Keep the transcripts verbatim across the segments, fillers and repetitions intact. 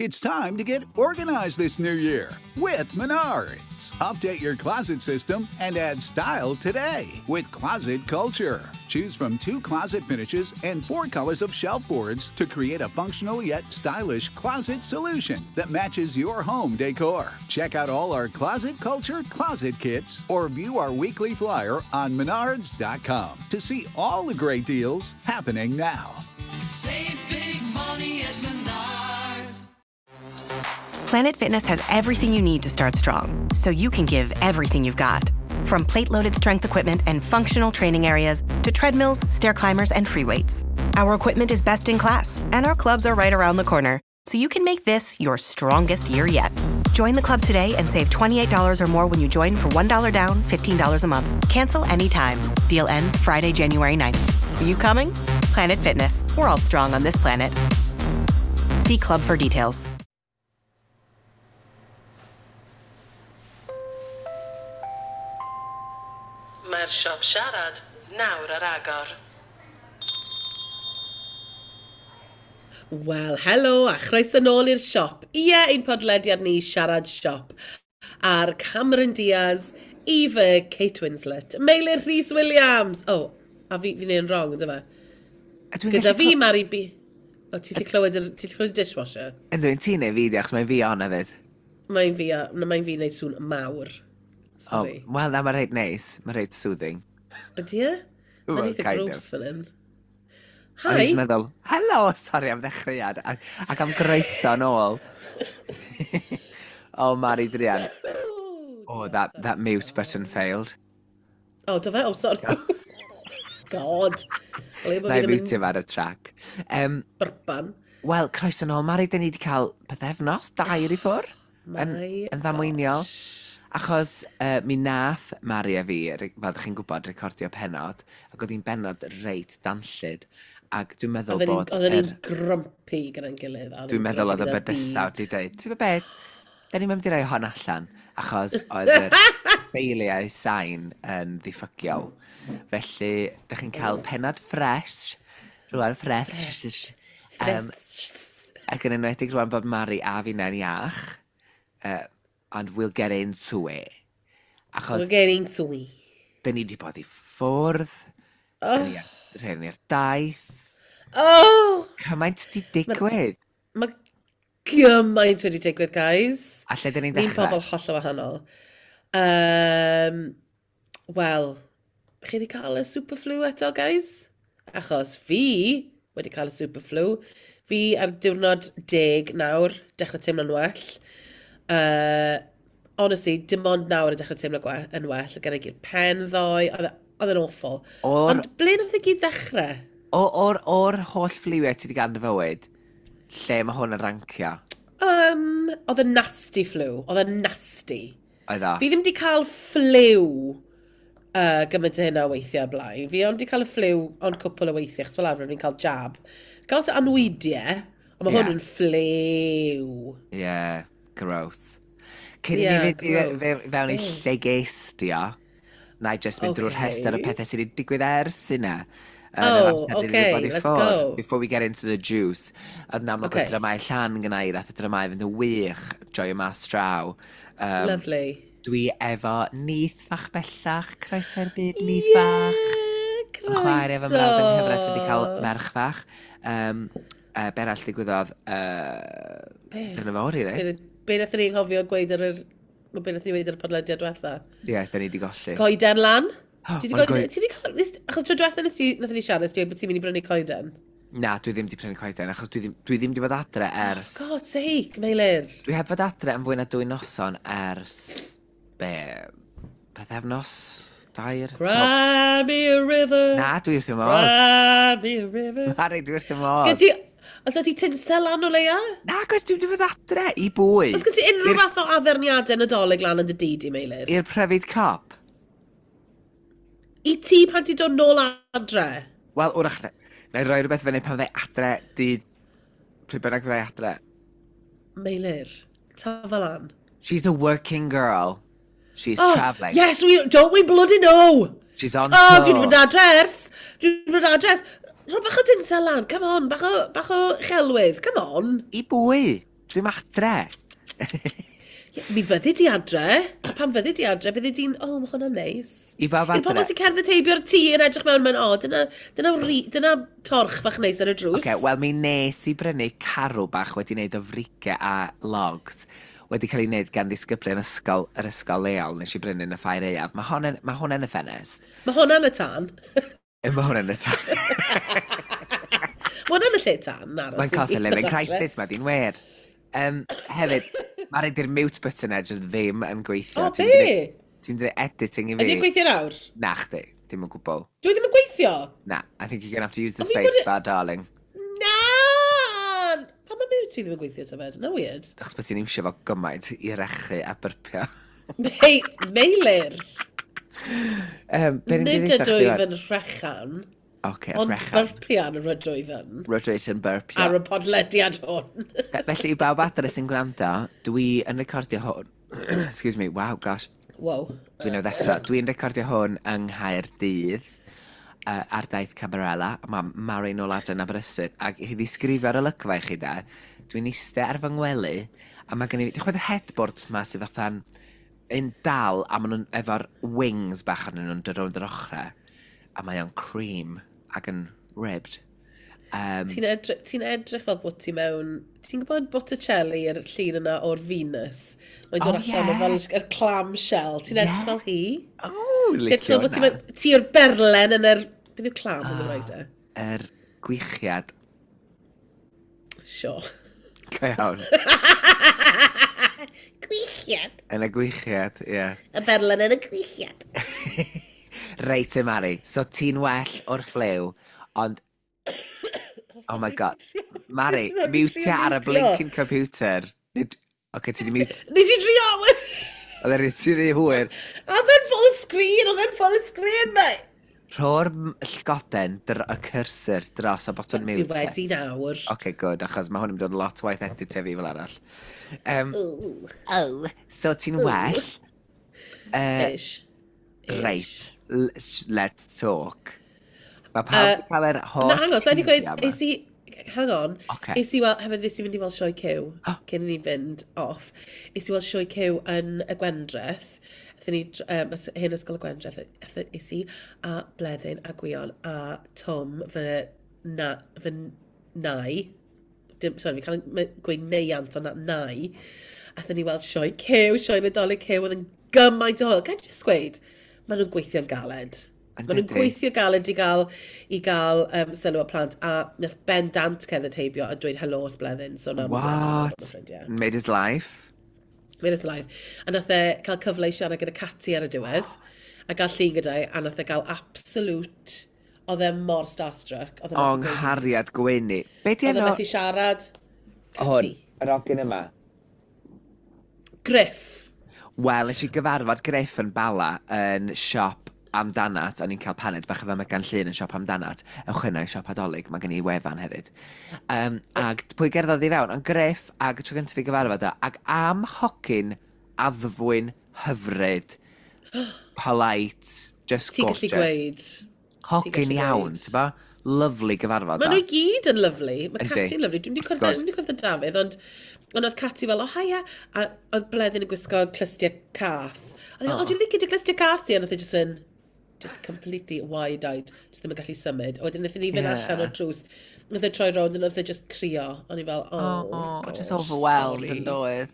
It's time to get organized this new year with Menards. Update your closet system and add style today with Closet Culture. Choose from two closet finishes and four colors of shelf boards to create a functional yet stylish closet solution that matches your home decor. Check out all our Closet Culture closet kits or view our weekly flyer on menards dot com to see all the great deals happening now. Save big money at Menards. Planet Fitness has everything you need to start strong, so you can give everything you've got. From plate-loaded strength equipment and functional training areas to treadmills, stair climbers, and free weights. Our equipment is best in class, and our clubs are right around the corner, so you can make this your strongest year yet. Join the club today and save twenty-eight dollars or more when you join for one dollar down, fifteen dollars a month. Cancel anytime. Deal ends Friday, January ninth. Are you coming? Planet Fitness. We're all strong on this planet. See club for details. Mae'r siop siarad nawr ar agor. Wel, helo a chroeso nôl i'r siop. Ie, ein podlediad ni Siarad Siop. Ar Cameron Diaz, Eva Kate Winslet, Meilir Rhys Williams. Oh, a fi, fi'n neud yn wrong, ynddo fe? Gyda fi, Mari B. O, ti 'di clywed yr, ti 'di clywed y dishwasher? Yndw, ti'n neud fi, diolch, mae'n fi on hefyd. Mae'n fi, mae'n fi wneud sŵn mawr. Sorry. Oh, wel, na, mae'n reit neis. Mae'n reit soothing. Ydy e? Mae'n eitha gross fel hyn. Hi! O'n i'n meddwl, helo, sorry am ddechreuad, ac, ac am groeso nôl. Oh, Mari Drian. Oh, that, that mute button failed. Oh, do fe? Oh, sorry. God. Na i mute him ar y track. Um, Byrban. Wel, croeso nôl, Mari, dyn ni wedi cael pythefnos, dair i ffwr. Yn, yn ddamweiniol. Achos uh, mi nath Mari a fi, fel ydych chi'n gwybod, recordio pennod, ac oedd hi'n bennod reit danllyd. Ac dwi'n meddwl bod... Oedden ni'n grumpy gyda'n gilydd. Dwi'n meddwl oedd y bydysawd wedi dweud, ti'n meddwl beth, da ni'n mynd i roi hon allan, achos oedd yr ffeiliau sain yn ddiffygiol. Felly, da chi'n cael pennod fresh, rwan fresh. Um, ac yn enwedig rwan bod Mari a fi'n iach, uh, and we'll get into it. Achos we'll get into it. Dyn ni wedi bod i ffwrdd. Oh. Dyn ni ar daith. Oh! Cymaint di digwydd. Mae ma gymaint wedi digwydd, guys. A lle dyn ni'n dechrau? Ni'n pobl hollol wahanol. Um, Wel, chi wedi cael y superflu eto, guys? Achos fi wedi cael y superflu. Fi ar diwrnod deg nawr, dechrau teimlo'n well. Uh, honestly, dim ond nawr yn dechrau teimlo gwe- yn well. Gyda gyd pen ddoe, oedd e'n awful. Or, Ond ble nath e gyd ddechrau? O'r or holl ffliwiau ti wedi gael yn dy fywyd, lle mae hwn yn rancio? Um, oedd e'n nasty flu. Oedd e'n nasty. Oedd o? Fi ddim wedi cael ffliw uh, gymaint o hynna o weithiau blaen. Fi ond wedi cael y ffliw ond cwpl o weithiau, achos fel arfer fi'n cael jab. Cael lot o anwydiau, ond mae yeah. hwn yn ffliw. Ie. Yeah. Gross. Cyn yeah, i ni fynd fewn i lle ges di o, na i just mynd okay. drwy'r rhestr o pethau sydd wedi digwydd ers yna. Oh, okay, let's go. Before we get into the juice. Oedd na, mae okay. dramau llan gyna i, nath y dramau fynd yn wych, joio mas draw. Um, Lovely. Dwi efo nith fach bellach, croeso i'r byd, nith yeah, fach. Croeso. Yn chwaer efo mrawd yng nghyfraith wedi cael merch fach. Um, uh, be arall ddigwyddodd? Uh, dyna fo, rili. Be nath ni anghofio gweud ar yr... Be nath ni weud ar y podlediad diwetha? Ie, yes, da ni wedi golli. Coeden lan. Ti wedi cael... Achos tro diwetha nes ti, nath ni siarad, nes ti bod ti'n mynd i brynu coeden? Na, dwi ddim wedi prynu coeden, achos dwi ddim, dwi ddim wedi bod adre ers... Oh, God's sake, Meilir. Dwi heb fod adre am fwy na dwy noson ers... Be... Pythefnos? Dair? Cry me a river. Na, dwi wrth y modd. Cry me a river. Mari, dwi wrth y modd. Sgen ti... Os ti tinsel lan o leia? Na, cos dwi'n dod adre i bwy. Os gen ti unrhyw fath o addurniadau Nadolig lan yn dy dŷ di, Meilir? I'r pryfid cop? I ti pan ti'n dod nôl adre? Wel, wrach, na i roi rhywbeth fyny pan fydda adre, dydd, pryd bynnag fydda adre. Meilir, tafa lan. She's a working girl. She's oh, travelling. Yes, we, don't we bloody know? She's on oh, tour. Dwi'n mynd adre ers. Dwi'n mynd adre ers. Rho bach o tinsel lan, come on, bach o, bach o chelwydd, come on. I bwy? Dwi'n adre. Ie, mi fyddi di adre, a pan fyddi di adre, byddi di'n, oh, mae hwnna'n neis. I bawb I'r pobl adre. sy'n cerdded heibio'r tŷ yn edrych mewn, mae'n, o, dyna, dyna, ri, dyna torch fach neis ar y drws. Oce, wel mi nes i brynu carw bach wedi wneud o frige a logs wedi cael ei wneud gan ddisgyblion ysgol, yr ysgol leol nes i brynu yn y ffair aeaf. Mae hwn ma hwn yn y ffenest. Mae hwnna'n y tân. Mae hwn yn y tân. Mae hwnna'n y lle tân, aros. Mae'n cost of living crisis, mae di'n wir. Um, hefyd, mae rhaid i'r mute button e jyst ddim yn gweithio. O, Ti'n be? gwneud- Ti'n dweud editing i fi. Ydy'n gweithio nawr? Na chdi, dim yn gwbl. Dwi ddim yn gweithio? Na, I think you're gonna have to use the Ond fi space bod- bar, darling. Na! Pan mae mute fi ddim yn gweithio, tybed? No weird. Achos bod ti'n iwsio fo gymaint i rechu a byrpio. Hei, Meilir! Um, be ni'n Nid dweud ydw i yn rhechan, Oce, ond rechan. byrpian yr ydw i yn. Rydw i yn byrpio. Ar y podlediad hwn. Felly, i bawb adre sy'n gwrando, dwi yn recordio hwn. Excuse me, wow, gosh. Wow. Dwi'n newydd ddeffro. Dwi'n recordio hwn yng Nghaerdydd uh, ar daith Cabarella. Mae Mari nôl adre yn Aberystwyth. Ac i ddisgrifio'r olygfa i chi de, dwi'n eistedd ar fy ngwely, a mae gen i... Dwi'n chwbod yr headboards ma sydd fatha'n un dal, a maen nhw'n efo'r wings bach arnyn nhw'n dod rownd yr ochrau. A mae o'n cream ac yn ribbed. Um, Ti'n edrych, ti edrych fel bod ti mewn... Ti'n gwybod Botticelli, yr llun yna o'r Venus? Mae'n dod Oh, allan o ie. fel yr clamshell. Ti'n edrych Ie. fel hi? Oh, Ti'n edrych licio fel bod ti hwnna. mewn... Ti yw'r berlen yn yr... Beth yw clam yn Gymraeg de? Yr gwichiad. Sure. Go iawn. Gwichiad. Yn y gwichiad, ie. Yeah. Y berlen yn y gwichiad. Reit, e Mari. So ti'n well o'r ffliw, ond... Oh my God. Mari, Dwi'n mute trio ar y miwtio. blinking computer. Nid... Oce, ti di mute... Nes i drio! Oedd e'n ti rhy hwyr. Oedd e'n full screen! Oedd e'n full screen, mate! Rho'r m- llgoden, dr y cursor dros y botwm Dwi mute. wedi nawr. Oce, good, achos mae hwn yn mynd yn lot waith edit fi fel arall. Um, Ooh. Oh, so ti'n well? Uh, Ish. Reit, l- sh- let's talk. Mae pawb wedi cael yr holl Na, hang on, sa'i di gweud, teithiau 'ma. es i, hang on, Ocê. es i weld, hefyd nes i fynd i weld sioe Cyw, cyn i ni fynd off, es i weld sioe Cyw yn y Gwendreth, aethon ni, um, hen ysgol y Gwendreth, aethon es i a Bleddyn a Gwion a Tom fy, na, fy nai, dim, sorry, fi'n cael yn gweud neiant, ond na, nai, aethon ni weld sioe Cyw, sioe Nadolig Cyw, oedd yn gymaint o hwyl. Ga'i jyst gweud, maen nhw'n gweithio'n galed. Yn Maen nhw'n dydi? gweithio galed i gael, i gael um, sylw y plant, a nath Ben Dant cerdded heibio a dweud helo wrth Bleddyn. So nawr ma' Bleddyn yn What? bod yn ffrindiau. Made his life? Made his life. A nath e cael cyfle i siarad gyda Cati ar y diwedd, a gael llun gyda i, a nath e gael absolute... Oedd e mor starstruck. Oedd e O, methu gweud. nghariad Gwenni. Be di Oedd e enw? methu siarad. Hwn, Cati. yr ogyn yma. Griff. Wel, nes i gyfarfod Griff yn Bala yn siop Amdanat. O'n i'n cael paned bach efo Megan Llŷn yn siop Amdanat. Ewch yna i siop Adolyg, mae gen i wefan hefyd. Um, ag pwy gerddodd i fewn? Ond Griff, ag y tro gyntaf i gyfarfod o, ag am hogyn addfwyn hyfryd, polite, just Ti'n gallu gorgeous. gweud. Ti'n Hogyn gallu iawn, gweud. ti'n bo? Lovely gyfarfod Maen o. nhw i gyd yn lovely. Mae Yndi. Cati'n lovely. Dwi'n di Wrth cwrdd gwrs. dwi'n di cwrdd â Dafydd, ond, ond oedd Cati fel, o haia, a oedd Bleddyn yn gwisgo clustiau cath. A oedd, o, dwi'n licio dy clustiau cath di, a nath e just fynd, just completely wide-eyed, just ddim yn gallu symud. A wedyn wnaethon ni fynd Ie. allan o'r drws, nath e troi rownd, a nath e just crio. O'n i fel, oh, Oh, gosh, just overwhelmed sorry. yn doedd.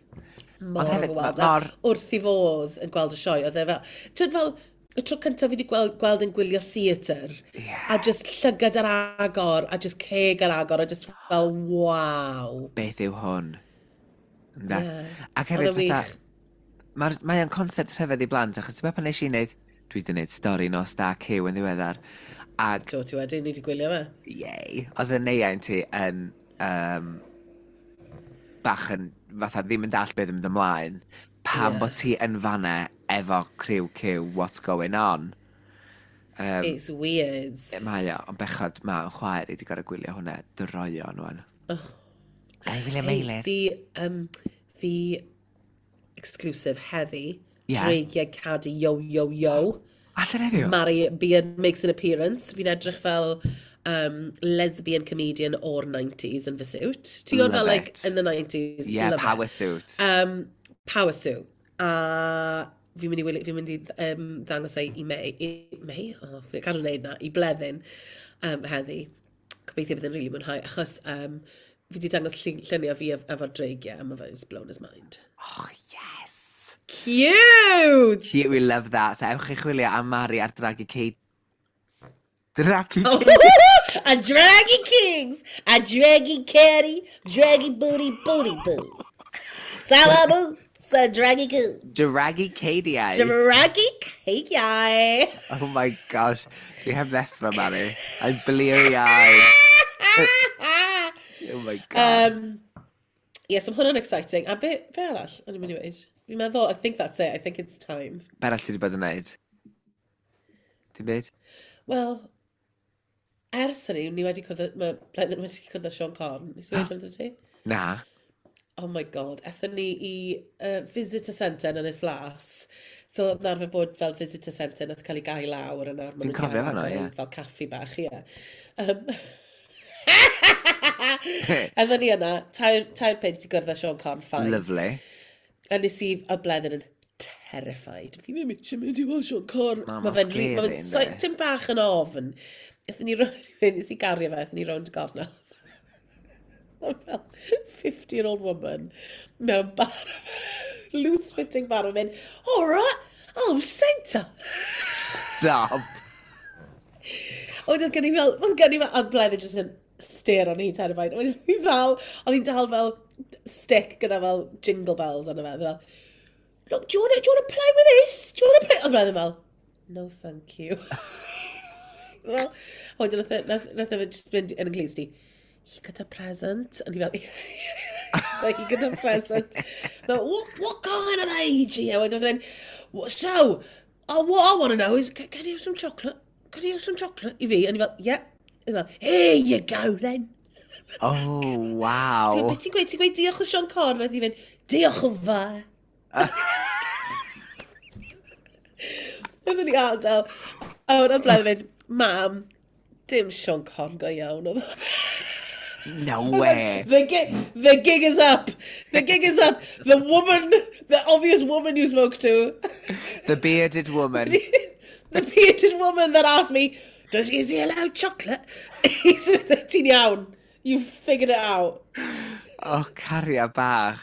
Mor Ond hefyd, overwhelmed. ma- mor- A wrth i fodd yn gweld y sioe, oedd e fel, ti'n fel, y tro cyntaf fi wedi gweld, gweld yn gwylio theatr, Ie. a just llygad ar agor, a just ceg ar agor, a just fel, waw. Beth yw hwn? Ynde? Ie. Ac Oedd hefyd, o'n wych. fatha, mae'r- mae o'n concept rhyfedd i blant, achos ti'n meddwl pan nes i wneud, dwi wedi wneud stori nos da Cyw yn ddiweddar, ac, Do, ti wedi, ni wedi gwylio fe. yay, oedd y neiain ti yn um, bach yn, fatha, ddim yn dall beth yn mynd ymlaen, pam Ie. bod ti yn fanna efo criw Cyw, what's going on? Um, It's weird. Mae o, ond bechod, mae o'n chwaer i wedi gorau gwylio hwnna droion wan. Oh. Ga i wylio Hey, Meilir? fi, um, fi exclusive heddi, Ie. Dreigiau Cadi, yo, yo, yo. Allan heddiw? Mari Beard makes an appearance. Fi'n edrych fel um, lesbian comedian o'r nineties yn fy suit. Ti'n gwybod fel, like, in the nineties. Yeah, love power it. Suit. Um, power suit. A fi'n mynd i, wylio- fi'n mynd i um, ddangos e i May. I May? Oh, fi'n cadw wneud na. I Bleddyn um, heddi. Gobeithio bydd yn rili mwynhau, achos um, fi wedi dangos llun- lluniau fi ef- efo'r dreigiau, a mae fe'n just blown his mind. Oh, yes! Cute! Cute, we love that. So ewch i chwilio am Mari ar Draggy Kate. Draggy Oh. Kate. A Draggy Kings! A Draggy Caddy! Draggy Booty Booty Boo! Sawa Boots! A Draggy Goo! Draggy Cadiau. Draggy Cakey! Oh my gosh. Dwi heb ddeffro, Mari. I'm bleary-eyed. Oh my God. Um, yes, yeah, so hwnna'n exciting. A be, be arall o'n i'n mynd i weud? Fi'n meddwl, I think that's it. I think it's time. Be arall ti wedi bod yn neud? Ti'n byd? Wel, ers hynny, ni wedi cwrdd, mae Bleddyn wedi cwrdd â Siôn Corn. Nes i weud hwnna ti? Na. Oh my God, ethon ni i uh, visitor centre yn Ynys Las. So, oedd 'na arfer bod fel visitor centre nath cael ei gau lawr a nawr ma' Dwi'n nhw 'di cofio hwnna, agor ie. fel caffi bach, ie. Um, Ethon ni yna, tair, tair punt i gwrdd â Siôn Corn, fine. Lovely. A nes i, a Bleddyn yn terrified. Fi ddim eisiau mynd i weld Siôn Corn. Na, Ma' ma'n fe'n ri- ma' scary, fe'n so- yndi? Tim bach yn ofn. Aethon ni rownd, nes i gario fe, aethon ni rownd y gornel. Fel fifty-year-old woman mewn bar, loose-fitting bar, yn mynd, "All right, oh, Santa." Stop. A wedyn gen i fel, oedd gen i fel, a Bleddyn just yn stare on hi terrified. A wedyn hi fel, oedd hi'n dal fel stick gyda fel jingle bells arno fe. Fel, "Look, do you want to, do you want to play with this? Do you want to play?" Oedd Bleddyn fel, "No, thank you." Fel, a wedyn nath e- nath nath e just mynd yn y glust i, "He got a present." And he fel, like, "He got a present." Fel, what, what kind of age are you?" A wedyn oedd e'n, "What- so, uh, what I want to know is, can, can you have some chocolate? Can you have some chocolate?" I fi, and he fel, "Yeah." He fel, "Here you go then." Oh, wow. Ti'n beth ti'n gweud? Ti'n gweud diolch o Siôn Corn? A hi fynd, "Diolch yn fawr." Oedden ni adael. A wedyn Bleddyn mynd, "Mam, dim Siôn Corn go iawn oedd hwnna." No way. The gig, the gig is up. The gig is up. The woman, the obvious woman you spoke to, The bearded woman. The bearded woman that asked me, "Does is he allowed chocolate?" He said, "Ti'n iawn. You figured it out." Oh, cariad bach.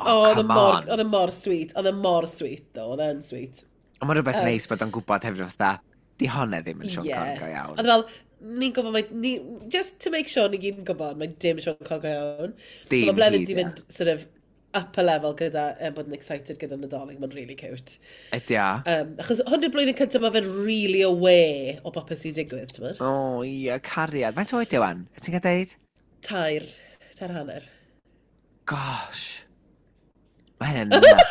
Oh, Oh, oedd e come mor, on. oedd e mor sweet. Oedd e mor sweet, though. Oedd e'n sweet. Ond mae'n rhywbeth neis bod o'n gwybod hefyd fatha, di honna ddim yn Siôn Yeah. Corn go iawn. Oedd fel, ni'n gwybod mae, ni, just to make sure ni gyd yn gwybod, mae dim Siôn Corn go iawn. Dim Mae Bleddyn hyd, di ie. mynd sort of up a level gyda um, bod yn excited gyda Nadolig. Mae'n really cute. Ydy o? Um, achos hwn yw'r blwyddyn cyntaf mae fe'n really aware o bopeth sy'n digwydd, ti'n gwbod? O, ie, cariad. Faint oed yw wan? Ti'n cael deud? Tair, tair hanner. Gosh. Mae hynny'n nuts.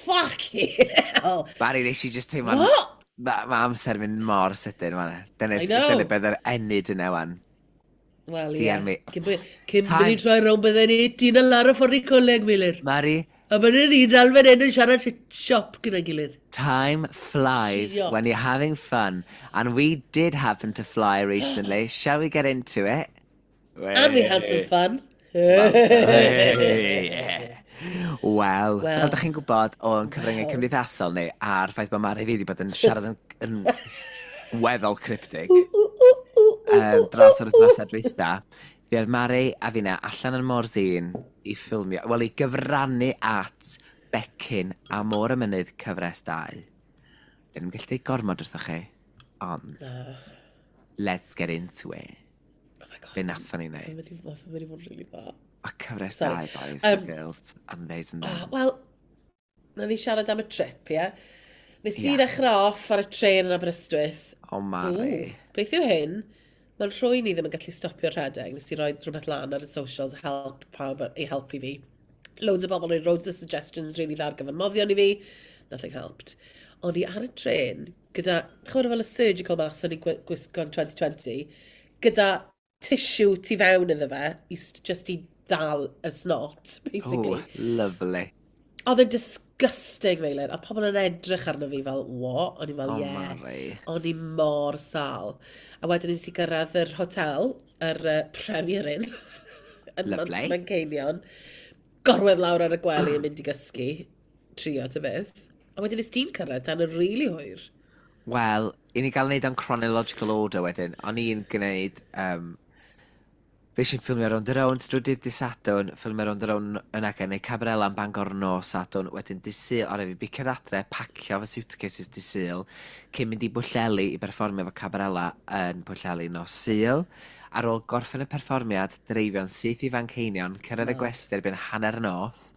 Fucking hell! Mari, nes i just teimlo'n. What? Mae ma amser yn mynd mor sydyn, fan. Dyna, I know. dyna beth yr ennyd yna, wan. Wel, ie. Dian mi. Cyn bod cyn Time. bod ni'n troi rownd bydden ni ti'n lawr y ffordd i coleg, Meilir. Mari, A bydden ni dal fan hyn yn siarad shit siop gyda'n gilydd. Time flies Siop. when you're having fun. And we did happen to fly recently. Shall we get into it? And we had some fun. Wel, Wel. fel ydych chi'n gwybod o'n cyfryngau cymdeithasol ni, a'r ffaith bod Mari fi wedi bod yn siarad yn, yn weddol cryptic um, dros yr wythnosau dwytha, fi oedd Mari a finna allan yn Morzine i ffilmio, wel i gyfrannu at Becyn a Môr y Mynydd cyfres dau. Ddim yn gallu deud gormod wrthoch chi, ond let's get into it. Oh my God. Be nathon ni Mae'n wneud? mynd i mae'n mynd i fod yn really dda. A cyfres Sorry. dau, boys Um, and girls, and theys and them. Oh, wel, na ni siarad am y trip, ie? Nes i Ie. ddechrau off ar y tren yn Aberystwyth. O, Mari. Ww, beth yw hyn? Mae'n rhwy'n i ddim yn gallu stopio rhedeg. Nes i roi rhywbeth lan ar y socials, help pawb i helpu fi. Loads o bobl yn rhoi loads o suggestions really dda ar gyfer moddion i fi. Nothing helped. O'n i ar y tren gyda, chymryd fel y surgical mask o'n i'n gwi- gwisgo yn dwy fil dau ddeg, gyda tissue tu fewn iddo fe, i, s- just i ddal y snot, basically. Oh, lovely. Oedd e'n disgusting, Meilir. A pobl yn edrych arno fi fel, "What?" O'n i fel, Oh, "Yeah." Mari. O'n i mor sâl. A wedyn nes i gyrraedd yr hotel, yr uh, Premier Inn, yn Man- Lovely. Manceinion. Gorwedd lawr ar y gwely yn mynd i gysgu. Trio ta beth. A wedyn nes ti'n cyrraedd tan yn rili hwyr. Wel, i ni gael wneud o'n chronological order wedyn. O'n i'n gwneud... Um, fe eisiau ffilmio Rownd a Rownd drwy dydd dydd Sadwrn, ffilmio Rownd a Rownd yn ac neu Cabarela yn Bangor nos Sadwrn, wedyn dydd Sul, o'n i fi bicio adre, pacio fy suitcases dydd Sul, cyn mynd i Bwlleli i berfformio fo Cabarela yn Pwllheli nos Sul. Ar ôl gorffen y perfformiad, dreifio'n syth i Fanceinion, cyrraedd y gwesty erbyn hanner nos,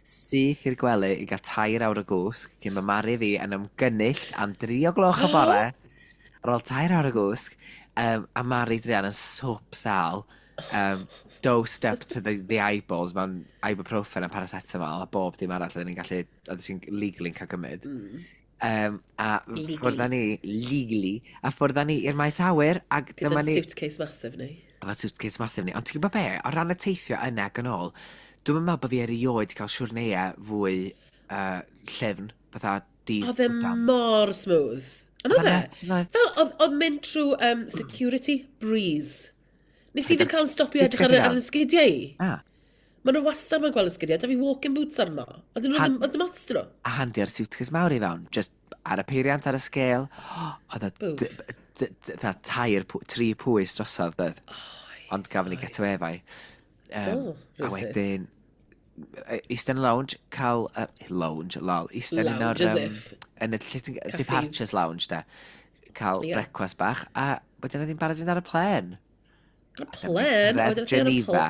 syth i'r gwely i gael tair awr o gwsg, cyn mae Mari fi yn ymgynnull am dri o gloch y bore, ar ôl tair awr o gwsg, um, a Mari druan yn swp sal, um, dosed up to the, the eyeballs mewn ibuprofen a paracetamol a bob dim arall oedden ni'n gallu, oedden ti'n legally'n cael gymryd. Mm. Um, a Legally. ffwrdd â ni, legally, a ffwrdd â ni i'r maes awyr, ac Gyda dyma ni suitcase massive ni. Efo suitcase massive ni. Ond ti'n gwybod be, o ran y teithio yna ac yn ôl, dwi'n meddwl bod fi erioed cael siwrneau fwy uh, llyfn, fatha di Oedd e mor smooth. Ond oedd Oedd e? e nuts, oedd. Fel, oedd, oedd mynd trwy um, security breeze. Nes i ddim cael stopio edrych ar, Suitcase i ar fewn? y sgidiau i. Ah, Maen nhw wastad mae'n gweld y sgidiau. Da fi walking boots arno. Oedd nhw Han- ddim, oedd ddim ots dyn nhw. A handio'r suitcase mawr i fewn, just ar y peiriant ar y scale. Oedd e Boof. d- d- d- fatha tair, pw- tri pwys drosodd, doedd. Ond gafon ni get away efo. Um, Do, a rywsut. wedyn, e, Eastern Lounge, cael... Uh, lounge, lol. Eistedd yn Lounge, o'r as Um, if. yn y lle ti'n- Cafes. Departures Lounge, de. Cael Ie. brecwast bach, a wedyn oedd hi'n barod i fynd ar y plen. Ar y plen? Cyrraedd Geneva.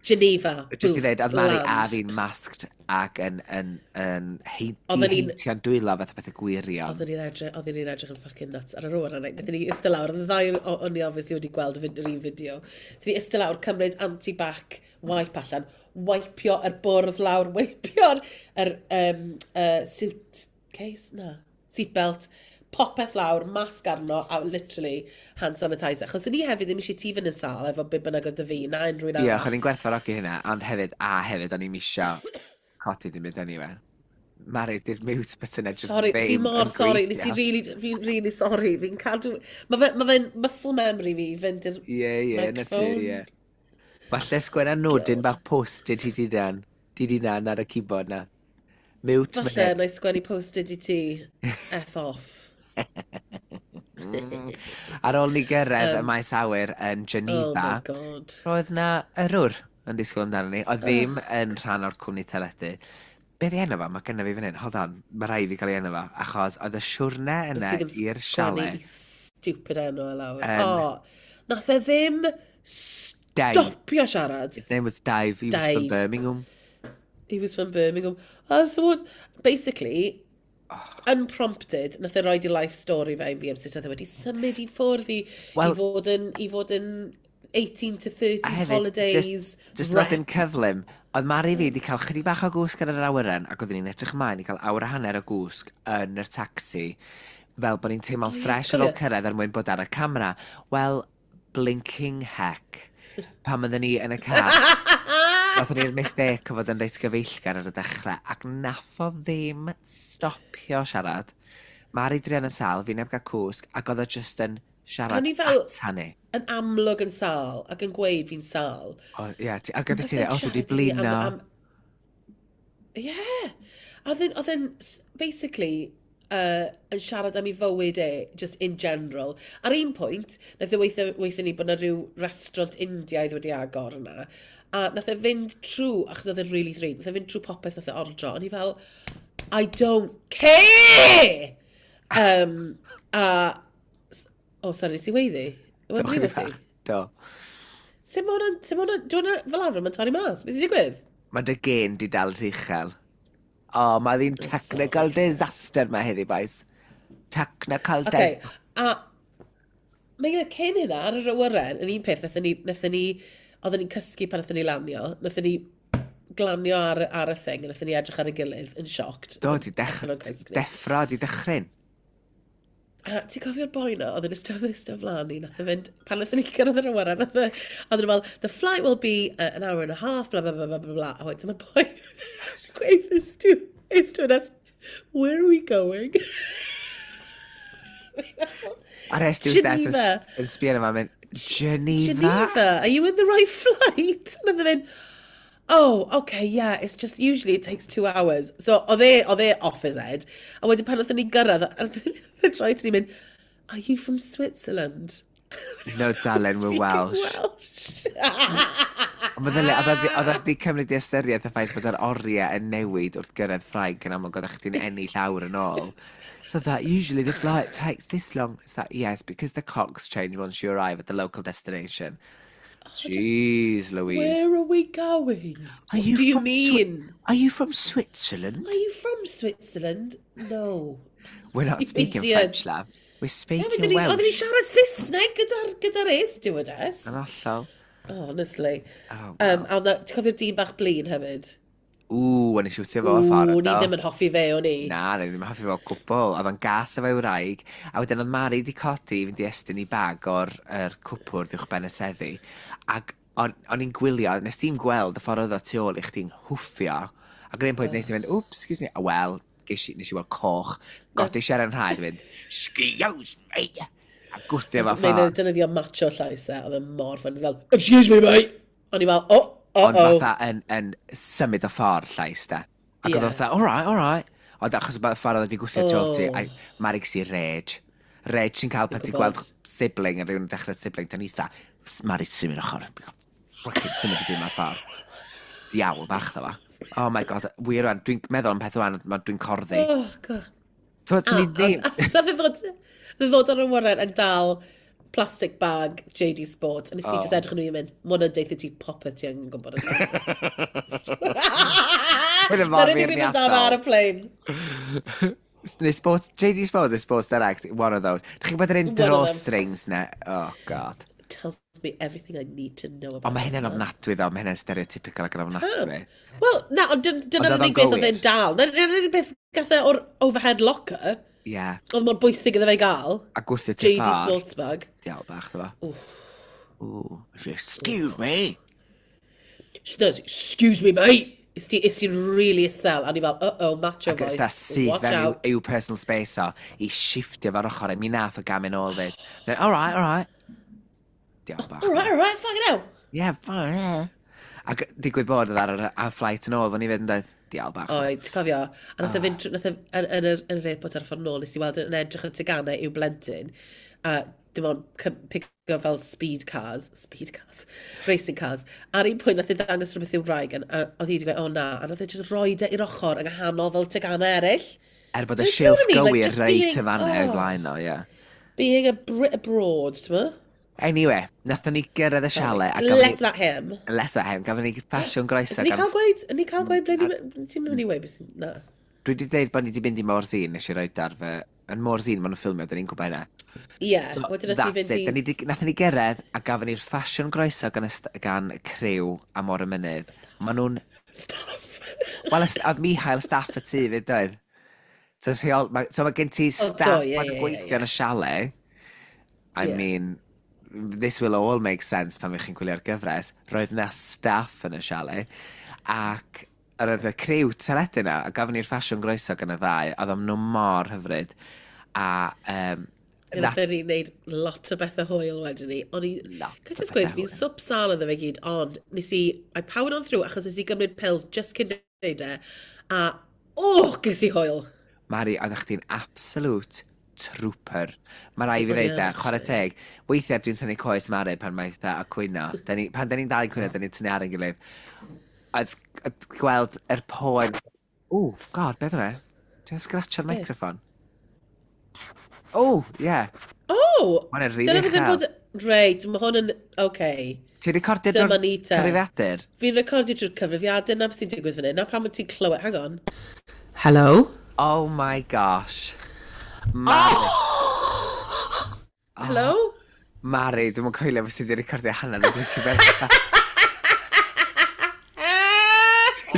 Geneva. Just i Boof, ddweud, oedd Mari a land. fi'n masked ac yn, yn, yn hein- Oedden ni'n- diheintio'n dwylo fath o beth y gwirion. Oedden ni'n edrych, oedden ni'n edrych yn fucking nuts ar yr oer yna. Nethon ni ystod lawr, oedd y ddau o- o'n i obviously wedi gweld y fid- yr un fideo. Nethon ni ystod lawr, cymryd anti-bac wipe allan, wipeio yr bwrdd lawr, wipeio'r yr, um, uh, suitcase, na, seatbelt, popeth lawr, masg arno, a literally hand sanitizer. Achos o'n i hefyd ddim eisiau ti fynd yn sâl efo be bynnag oedd 'da fi, na unrhyw un Ie, arall. o'n i'n gwerthfawrogi hynna, ond hefyd, a hefyd, o'n i'n misio codi dim byd anyway. Mari, di'r mute button edrych Sorry, fi ddim mor yn sorry. Nes i gweithio. really, fi'n really sorry. Fi'n cadw. Mae fe, ma fe'n muscle memory fi i fynd i'r Ie, ie, na ti, microphone. ie. Falle sgwenna nodyn God. bach post-it i ti dan. Di di nan ar y keyboard na. Mute. Falle, na i sgwennu post-it i ti. F off. Ar ôl ni gyrraedd y maes awyr yn Oh Geneva, my God. roedd na yrwr yn disgwyl amdano ni. Oedd ddim yn rhan o'r cwmni teledu. Be di enw fo? Mae gynna fi fan hyn. Hold on, mae rhaid fi gael ei enw fo. Achos oedd y siwrne yna Nes i ddim i'r sgwennu chalet. i stupid enw e lawr. Yn- O, nath e ddim Dave. stopio siarad. His name was Dave. He was from Dave. Birmingham. He was from Birmingham. Oh, so what? Basically, unprompted, nath e roid i life story fe i fi am sut oedd e wedi symud i ffwrdd i, Wel- i fod yn, i fod yn eighteen to thirties A hefyd, holidays. just, just rep. nodyn cyflym, oedd Mari fi wedi cael chydig bach o gwsg ar yr awyren ac oeddwn ni'n edrych ymlaen i cael awr a hanner o gwsg yn yr taxi fel bod ni'n teimlo'n Ie, ffres ar ôl cofio. cyrraedd er mwyn bod ar y camera. Wel, blinking heck. Pan oedden ni yn y car, nathon ni'r mistake o fod yn reit gyfeillgar ar y dechrau ac nath o ddim stopio siarad. Mari druan yn sâl, fi neb gael cwsg, ac oedd o just yn siarad O'n i fel- ata ni. Yn amlwg yn sâl ac yn gweud fi'n sâl. O, ie, ti- ac oedd ti Nath e dweud, "O, dwi wedi siarad i fi am- blino." am- Ie. A oedd e'n, oedd e'n s- basically, uh, yn siarad am ei fywyd e, just in general. Ar un pwynt, nath e weithio, weithio ni bod yna rhyw restaurant Indiaidd wedi agor yna. A nath e fynd trwy, achos oedd e'n really ddrud, nath e fynd trwy popeth nath e ordro. O'n i fel, "I don't care!" Um, a, oh, sorry, nes i weiddi? Do, Wel, chydig brifo ti? bach. Do. Sut mae hwnna'n, sut mae hwnna'n, di hwnna fel arfer, mae'n torri mas? Beth sy'n digwydd? Mae dy gen di dal rhy uchel. O, mae ddi'n technical disaster mae heddi, boys. Technical Okay, disaster. a mae gyda cyn hynna ar yr awyren, yn un peth, nathon ni, nathon ni, oedden ni'n cysgu pan nathon ni lanio, nathon ni glanio ar, ar y thing, a nathon ni edrych ar y gilydd yn shocked. Do, di dech Allan o'n cysgu ni. deffro, di dychryn. A ti'n cofio'r boi na, oedd yn ystod ystod flaen ni, nath e fynd, pan nath ni gyrraedd yr awyren, nath e, oedd yn fel, "The flight will be uh, an hour and a half, blah, blah, blah, blah, blah, blah." A wedyn mae'r boi gweud this to, this to us, "Where are we going?" A'r stewardess yn, Geneva. yn sbio yma, mynd, "Geneva?" "Geneva, are you in the right flight?" And oedd e'n mynd, "Oh, okay, yeah, it's just usually it takes two hours." So oedd e, oedd e off his head. A wedyn pan oedd ni gyrraedd, a oedd troi to ni mynd, "Are you from Switzerland?" "No, darling, we're Speaking Welsh." Welsh. Ond meddylia, oedd o 'di- oedd o wedi cymryd i ystyriaeth y ffaith bod yr oriau yn newid wrth gyrraedd Ffrainc yn amlwg oeddech chdi'n ennill awr yn ôl. So that usually the flight takes this long. It's that, "Yes, because the clocks change once you arrive at the local destination." Jeez, Louise. "Where are we going?" Are "What you do you from Swi- mean?" "Are you from Switzerland?" "Are you from Switzerland?" "No." "We're not You speaking idiot. French, love. We're speaking Oedden ni Welsh." oedden ni siarad Saesneg gyda'r gyda air stewardess. Yn hollol. Oh, honestly. Oh, Um, a oedd ti'n cofio'r dyn bach blin hefyd? Ww, o'n i siwthio fo o'r ffordd. Ww, ni do. ddim yn hoffi fe, o'n i. Na, ni ddim yn hoffi fo o gwbl. Oedd o'n gas efo'i wraig. A wedyn oedd Mari di codi i fynd i estyn i bag o'r er cwpwrdd uwch ben y seddi. Ac o'n o'n i'n gwylio, nes ti'n gweld y ffordd oedd o tu ôl i chdi'n hwffio. Ac yn un pwynt nes ti'n mynd, "Oops, excuse me." A wel, ges i, nes i weld coch. Godi si ar yn rhaid, mynd, "Excuse me." A gwthio fo Mae'n ffordd. defnyddio macho llais e, oedd e mor fun. Fel, "Excuse me, mate!" O'n i fel, "Oh, oh, Ond oh." fatha yn, yn symud o ffordd llais, da. Ac oedd Ie. o fatha, "All right, all right." Ond achos y ffordd oedd wedi gwthio tu ôl ti, Oh. a Mari ges i rage. Rage sy'n cael pan ti'n gwybod. gweld sibling, yn rhywun yn dechrau sibling, dan eitha, "Mari, symud ochr. Fucking symud y dim ar ffordd." Diawl bach ddo fo. Oh my God, wir rwan, dwi'n meddwl am peth rwan, ma- dwi'n corddi. Oh, God. So, swn i ddim. Na fe ddod, fe ddod ar y awyren yn dal plastic bag J D Sports, a nes ti Oh. just edrych yn nhw i mynd, "Ma hwnna'n deutha ti popeth ti angen gwybod yn." Hwnna mor Na'r unig beth yn dal ar y plane. Neu Sports, J D Sports neu Sports Direct, one of those. Dych chi'n gwybod yr un One of them. drawstrings na? Oh, God. Tells me everything I need to know about Ond mae hynna'n that. ofnadwy ddo, mae hynna'n stereotypical ac yn ofnadwy. Wel, na, ond dyn- dyna'r Ond oedd o'n unig beth oedd gywir. e'n dal. Dyna'r unig beth gath e o'r overhead locker. Ie. Yeah. Oedd mor bwysig iddo fe gael. A gwthio ti J D ffordd. Sports bag. Diawl bach ddo fo. Ooh. "Excuse me." She knows, "Excuse me, mate." Is ti, is ti really isel. A ni fel, "Uh-oh, macho Ac ys voice. da syth Watch fewn out." i'w, i'w personal space o, i shiftio fo'r ochr, mi nath o gamu nôl fyd. Then, "All right, all right." Diawl bach. "All right, all right, fucking hell." Yeah, fine, yeah. Ac digwydd bod oedd ar yr ar flight yn ôl, fan i fyd yn dweud, diawl bach. Oed, ti'n cofio? A nath e fynd, trwy- nath e, yn, yn, yr, yn yr airport ar y ffordd nôl, nes i weld yn edrych ar y teganau i'w blentyn, a dim ond cy- pigo fel speed cars, speed cars, racing cars. Ar un pwynt nath e ddangos rhywbeth i'w wraig, a a oedd hi wedi gweud, "O na," a nath e just roi e i'r ochr yng nghanol fel teganau eraill. Er bod y Do you know silff what I mean? Like, gywir just reit being- y fanna o'i oh. flaen o, ie. Being a Brit abroad, ti'n mo? Anyway, nathon ni gyrraedd y chalet. A gafon Less ni, about him. Less about him. Gafon ni ffasiwn groeso. Ydyn ni gan cael gweud, ydyn ni cael gweud ble ni, ti'n mynd i weud beth sy'n, na. Dwi wedi dweud bod ni wedi mynd i Morzine, nes i roed ar fy. Yn Morzine, maen nhw'n ffilmio, dyn ni'n gwybod hynna. Ie, So, wedyn nath ni that's fynd it. i Dyn ni 'di- Nathon ni gyrraedd a gafon ni'r ffasiwn groeso gan, y st- gan y criw am o'r y mynydd. Maen nhw'n Staff. Wel, y st- oedd Mihail staff y tŷ fyd, doedd? So, rheol, ma, so mae gen ti staff do, ie, oh, yn ie, ie, gweithio ie. yn y chalet. I Ie. mean, this will all make sense pan wych chi'n gwylio'r gyfres. Roedd na staff yn y chalet. Ac yr oedd y criw teledu na, a gafon ni'r ffasiwn groeso gan y ddau, a oedd nhw mor hyfryd. A um, Nath ni wneud lot o bethau hwyl wedyn ni. O'n i Lot Can o I just gweud, bethau fi'n hwyl. swp sâl iddo fe gyd, ond nes i, I powered on through achos nes i gymryd pills just cyn neud e, a, oh, ges i hwyl. Mari, oeddech chdi'n absolute trooper. Mae rai fi O'n i ddeud e, yn, chwarae actually. teg. Weithiau dwi'n tynnu coes Mari pan mae eitha a cwyno. Da ni, pan da ni'n dal yn cwyno, da ni'n tynnu ar ein gilydd. Oedd oedd gweld yr poen. Ww, God, beth yna? Ti'n scratcho'r Be? microffon? Oh, yeah. Oh! Ma' hwnna'n rili Dyna beth yn uchel. bod. Reit, mae hwn yn. Okay. Ti'n recordio Dyma drwy'r ni te. cyfrifiadur? Fi'n recordio drwy'r cyfrifiadur, na beth sy'n digwydd fan hyn. Na pam wyt ti'n clywed. Hang on. Hello? Oh my gosh. Mari, Oh! Hello? Mari, dwi'n mwyn coelio beth sydd wedi recordio hanner o'r blinking beth.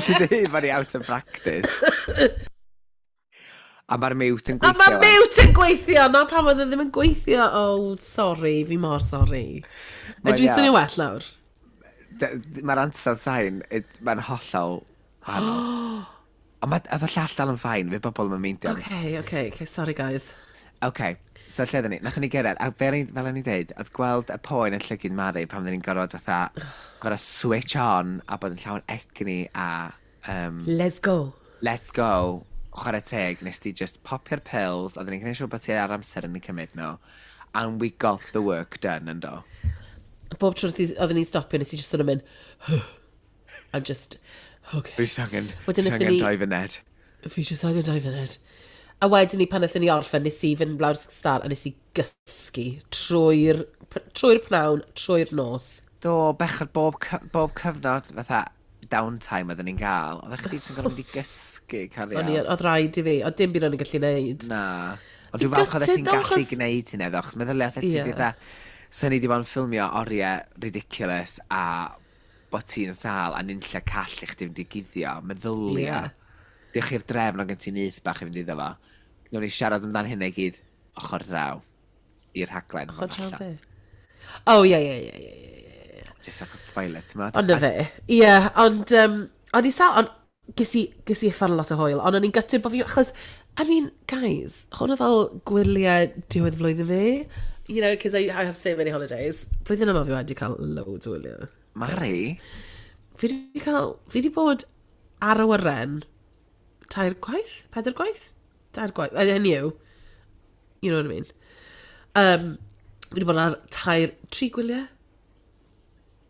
Ti'n dweud bod ni out of practice. A mae'r mute yn A gweithio. mae mute yn gweithio! Na pam oedd e ddim yn gweithio. Oh, sorry, fi mor sorry. Mae'n Ydw i'n iawn. swnio well nawr? D- Mae'r ansawdd sain, it- mae'n hollol wahanol. Ond mae oedd y llall dal yn fine, fydd bobl yn meindio. Okay, okay, okay, sorry guys. OK, so lle ydyn ni? Nathon ni gyrraedd, a fel o'n fel o'n i'n deud, oedd gweld y poen yn llygyd Mari pan oedden ni'n gorfod fatha, gorfod switch on a bod yn llawn egni a um, Let's go. Let's go, chwarae teg, nes di just popio'r pills, oedden ni'n gwneud siŵr bod ti ar amser yn ei cymryd nhw, and we got the work done, yn do. Bob tro oedden ni'n stopio, nes i just sort of mynd, I'm just, okay. Fi jyst angen, Wedyn jyst naethon angen ni- dau funed. Fi just angen dau funud. A wedyn ni pan naethon ni orffen, nes i fynd lawr star a nes i gysgu trwy'r trwy'r pnawn, trwy'r nos. Do, bechod bob, cy- bob cyfnod fatha downtime oedden ni'n gael. Oeddech chdi jyst yn gorfod mynd i gysgu, O'n i, cariad. oedd rhaid i fi, oedd dim byd o'n i'n gallu neud. Na. Ond Fi dwi'n falch oeddet ti'n gutted though, gallu achos- gwneud hynna, ddo, achos meddylia set ti Ie. fatha, sa ni wedi bod yn ffilmio oriau ridiculous a bod ti'n sâl a nunlla call i chdi fynd i guddio, meddylia. Ie. Diolch i'r drefn o gen ti'n nyth bach i fynd iddo fo. Nawn ni siarad amdan hynna i gyd ochr draw i'r rhaglen. Ochr draw allan. be? Oh, ie, ie, ie, ie, ie. Jyst achos spoiler, ti'n modd? Ond na fe. Ie, ond, um, o'n i sal, ond ges i, ges i uffar lot o hwyl, ond o'n i'n gutted bod fi, achos, I mean, guys, hwn oedd fel gwyliau diwedd flwyddyn fi. You know, because I, I have so many holidays. Blwyddyn yma fi wedi cael loads o wyliau. Mari? Fi wedi cael, fi wedi bod ar awyren tair gwaith? Pedair gwaith? Tair gwaith. Uh, Hynny yw. You know what I mean. Um, fi wedi bod ar tair, tri gwyliau?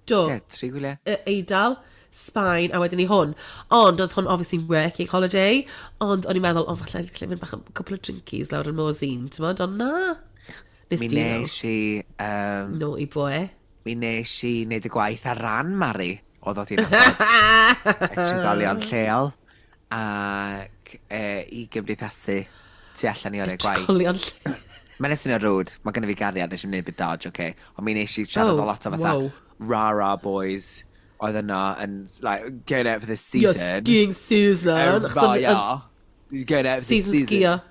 Do. Ie, tri gwyliau. Y Eidal, Sbaen, a wedyn ni hwn. Ond oedd hwn obviously working holiday, ond o'n i'n meddwl, o, falle gallu mynd bach am couple of drinkies lawr yn Morzine, ti'n modd, ond na. Nes Mi di nes i... Um, Naughty boy. Mi nes i wneud y gwaith ar ran Mari o ddod i'n nabod y trigolion lleol ac e, i gymdeithasu tu allan i oriau gwaith. Trigolion lleol. Mae'n swnio rude, mae gennym fi gariad, nes i'n gwneud bit dodge, okay? Ond mi nes i siarad Oh, oh, lot o fatha wow. rah-rah boys oedd yno and like, going out for the season. You're skiing season. Oh, Achos oedd- yeah. You're going out for the Season season. sgio.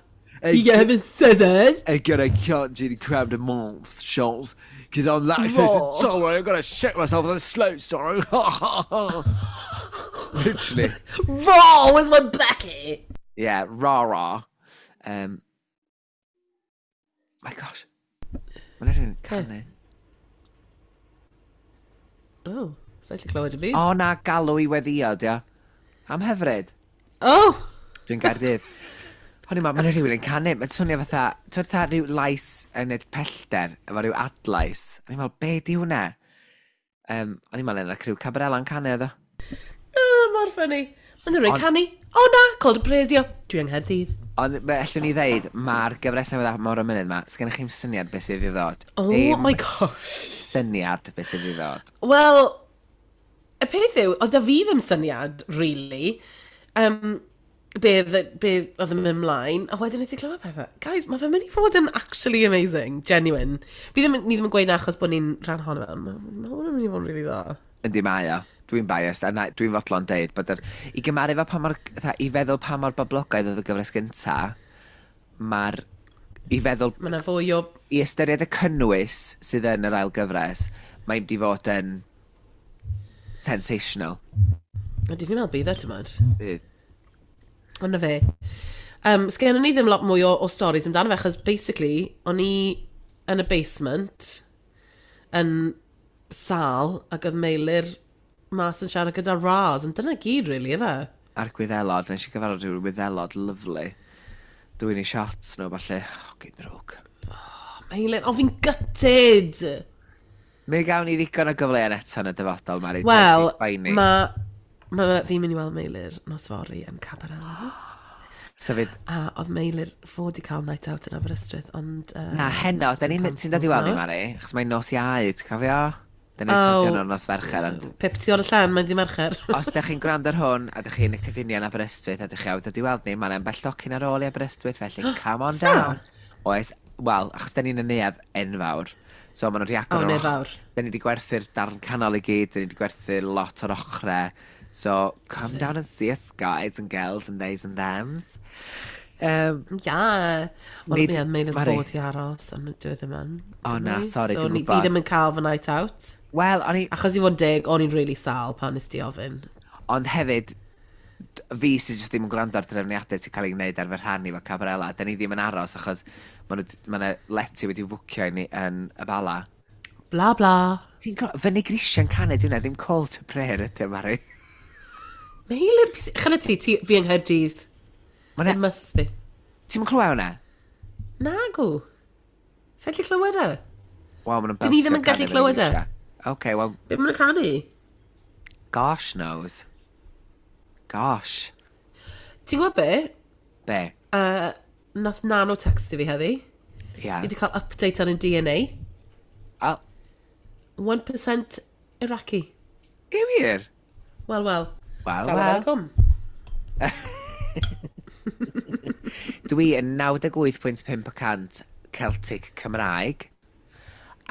Hey, You get having season. I gotta can't do the crab de month shots because I'm lactose Raw. intolerant. I've got to shit myself on the slope, sorry. Literally. Raw, where's my Becky? Yeah, rah rah. Um, my gosh. Mae'n rhywun canu. Oh, sa'n gallu clywed y byd. O na, galw i weddio, dio. Am hyfryd. Oh! Dwi'n Gaerdydd. O'n i'n meddwl, mae'n rhywun yn canu. Mae'n swnio fatha, ti'n fatha rhyw lais yn y pellter, efo rhyw adlais. O'n i'n meddwl, be di hwnna? Um, o'n i'n meddwl, yna criw Cabarella'n canu oedd o. Oh, mor funny. Mae'n rhywun canu. O na, called y radio. Dwi yng Nghaerdydd. Ond be allwn ni ddeud, mae'r gyfres newydd ar Môr y Mynydd 'ma, sgennych chi'm syniad beth sydd i ddod. Oh Dim my gosh. syniad beth sydd i ddod. Wel, y peth yw, oedd da fi ddim syniad, really, um, be, be oedd yn mynd ymlaen, a wedyn nes i clywed pethau. Guys, mae fe'n mynd i fod yn actually amazing, genuine. Fi ddim, ni ddim yn gweud na achos bod ni'n rhan ohono fe, ond mae ma hwn yn mynd i fod yn really dda. Yndi mae o. Dwi'n biased, a na, dwi'n fodlon deud bod yr... I gymaru fo pa mor... fatha, I feddwl pa mor boblogaidd oedd y gyfres gynta, mae'r... I feddwl... Mae yna fwy o. I ystyried y cynnwys sydd yn yr ail gyfres, mae'n mynd i fod yn sensational. Ydy fi'n meddwl bydd e, ti'n modd. Bydd. Ond na fe. Um, Sgennon ni ddim lot mwy o, o stories amdano fe, achos basically, o'n i yn y basement, yn sal, ac oedd Meilir mas yn siarad gyda Raz, ond dyna gyd, really, efe? A'r gwyddelod, nes i gyfarfod rhyw wyddelod lyfli. Dwi'n i shots nhw, falle, oh, gyn drwg. Meilir, o fi'n gutted! Mi gawn ni ddigon o gyfleon eto yn y dyfodol, Mari. Wel, Mae... mae ma, fi'n mynd i weld Meilir nos fory yn Cabarella. So fydd... A oedd Meilir fod i cael night out yn Aberystwyth, ond... Uh, Na, heno, da ni'n ti'n dod i weld ni, Mari? Achos mae'n nos Iau, ti'n cofio? Da ni'n Oh. recordio nhw'n nos Fercher, ond Pip tu ôl y llen, mae'n ddim Mercher. os da chi'n gwrando ar hwn, a da chi'n y cyffiniau yn Aberystwyth, a da chi awydd dod i weld ni, mae'n ambell docyn ar ôl i Aberystwyth, felly come on Sa? down. Oes, wel, achos da ni'n y neuadd enfawr, so maen nhw wedi agor O, yr neuadd och- fawr. Da ni wedi gwerthu'r darn canol i gyd, da ni wedi gwerthu lot o'r ochrau. So, come down and see us, guys and girls and theys and thems. Um, Yeah. Wel, Nid- ie, mae'n Mari. fod i aros, ond dwi ddim yn. O, na, sori, so, dwi'n ni- gwbod. Fi ddim yn cael fy night out. Wel, o'n i... Achos i fod yn deg, o'n i'n really sâl pan nes ti ofyn. Ond hefyd, d- fi sydd jyst ddim yn gwrando ar drefniadau sy'n cael ei wneud ar fy rhan i fo Cabarella. Da ni ddim yn aros achos mae yna lety wedi fwcio i ni yn y Bala. Bla bla. Ti'n clo- Fyny grisiau'n canu, dwi'n ddim call to prayer ydy, Mari. Meilir, chyna ti, ti, fi yng Nghaerdydd. Ma' 'na- It must be. Ti'm yn clywed hwnna? Nagw. Sa'n gallu clywed e? Wel, maen nhw'n Dyn ni ddim beltio yn gallu canu fyny clywed e. grisiau. Oce, wel, Be maen nhw'n canu? Gosh knows. Gosh. Ti'n gwybod be? Be? Uh, nath Nano texto fi heddi. Ia. Fi wedi cael update ar ein D N A. Oh, un pwynt pump y cant Iraqi. I wir? Wel, wel. Wel, Salam wel. alaikum. Dwi yn naw deg wyth pwynt pump y cant Celtic Cymraeg.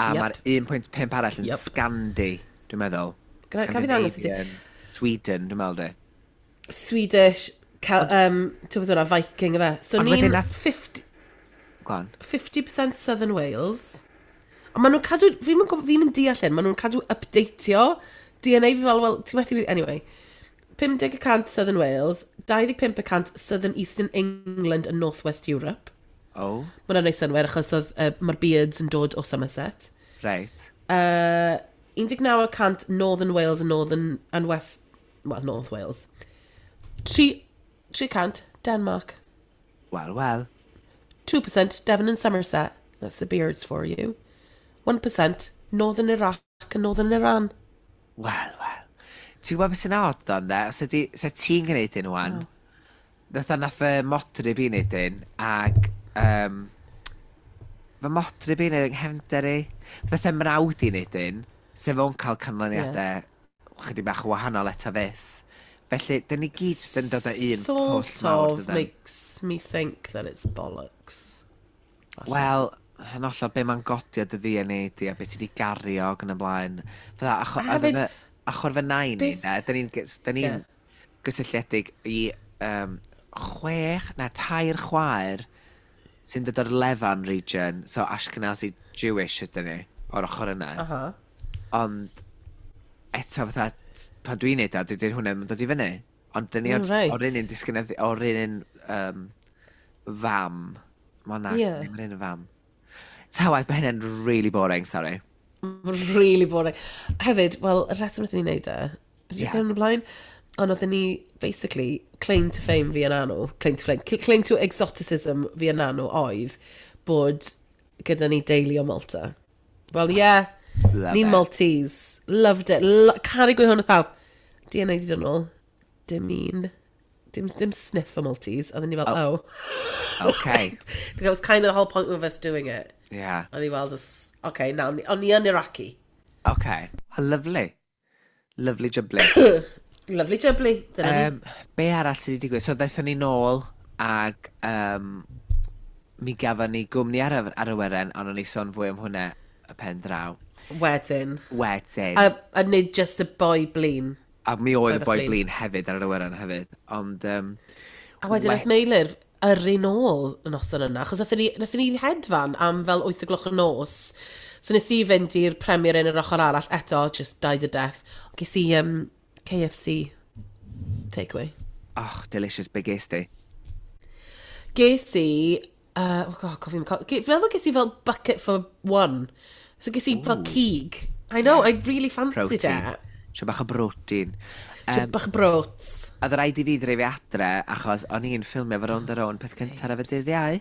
A Yep. mae'r un pwynt pump arall yn Yep. Scandi, dwi'n meddwl. Ga- ga fi ddangos i ti? Scandinavian, Sweden, dwi'n meddwl, dwi. Swedish, Cal, um, ti'n gwybod hwnna, Viking efe. So Ond ni'n wedyn nath- fifty Go on. fifty percent Southern Wales. Ond maen nhw'n cadw, fi'n mynd fi mynd deall hyn, maen nhw'n cadw updateio D N A fi fel, well, ti'n methu, anyway. pump deg y cant Southern Wales, dau ddeg pump y cant Southern Eastern England and North West Europe. Oh, Mae hwnna'n neud synnwyr achos oedd, uh, mae'r beards yn dod o Somerset. Right. Uh, un deg naw y cant Northern Wales and Northern and West, well, North Wales. tri, tri cant Denmark. Wel, wel. two percent Devon and Somerset. That's the beards for you. one percent Northern Iraq and Northern Iran. Wel, wel. Ti'n gwybod beth sy'n odd ddo, ynde? Os ydi, se ti'n gwneud un wan, oh. Nath nath fy modryb i wneud un, ac um, fy modryb i wneud yng nghefnder i. Fatha se mrawd i wneud un, se fo'n cael canlyniadau yeah. chydig bach o wahanol eto fyth. Felly, dyn ni gyd jyst yn dod o un Sort pwll mawr, of dydan? Makes me think that it's bollocks. Wel, yn hollol be mae'n godio dy D N A di a beth ti wedi gario ac yn y blaen. Fatha, acho, A hefyd- hefyd, achor fy nain ni, Beth- ne, dyn ni'n gys- dyn ni'n Ie. gysylltiedig i um, chwech, na tair chwaer sy'n dod o'r Levant region, so Ashkenazi Jewish ydyn ni, o'r ochr yna. Aha. Ond eto fatha, pan dwi'n neud o, dydy'r hwnna ddim yn dod i fyny. Ond dyn ni O, o'r, reit. o'r un un disgynedd, o'r un un um, fam. Mae na, Ie. ddim yr un fam. Ta waeth, mae hynny'n really boring, sorry. Really boring. Hefyd, wel, y rheswm wnaethon ni wneud e, Ie. yeah. yn y blaen, ond oedden ni, basically, claim to fame fi a Nanw, claim to fame, claim to exoticism fi a Nanw oedd bod gyda ni deulu o Malta. Wel, ie, yeah, Love ni'n it. Maltese. Loved it. Lo caru gweud hwn wrth pawb. D N A di dod nôl. Dim un. Dim, dim sniff o Maltese. Oedden ni fel, oh. Okay. That was kind of the whole point of us doing it. Yeah. Oedd i weld os, okay, now, o'n ni yn Iraqi. Okay. Well, lovely. Lovely jubbly. Lovely jubbly. Dyna ni. um, be arall sydd wedi digwydd? So, ddaethon ni nôl ag um, mi gafon ni gwmni ar, y- ar y weren, ond o'n i sôn fwy am hwnna y pen draw. Wedyn. Wedyn. A, a nid just y boi blin. A mi oedd y Oedd y boi blin. blin hefyd ar yr awyren hefyd. Ond... Um, A wedyn nath Meilir yrru nôl y noson yna, achos nathon ni, nathon ni hedfan am fel wyth o gloch y nos. So nes i fynd i'r Premier yn yr ochr arall eto, just died a death. Ges i um, K F C takeaway. Oh, delicious, be ges di? Ges i, uh, oh God, cofio, fi'n meddwl ges i fel bucket for one. So ges i fel cig. I know, I really fancied Protein. it. Sio bach o protein. Um, Um, bach o brots. Oedd rhaid i fi dreifio adre, achos o'n i'n ffilmio fo Rownd a Rownd peth cyntaf ar y dydd Iau.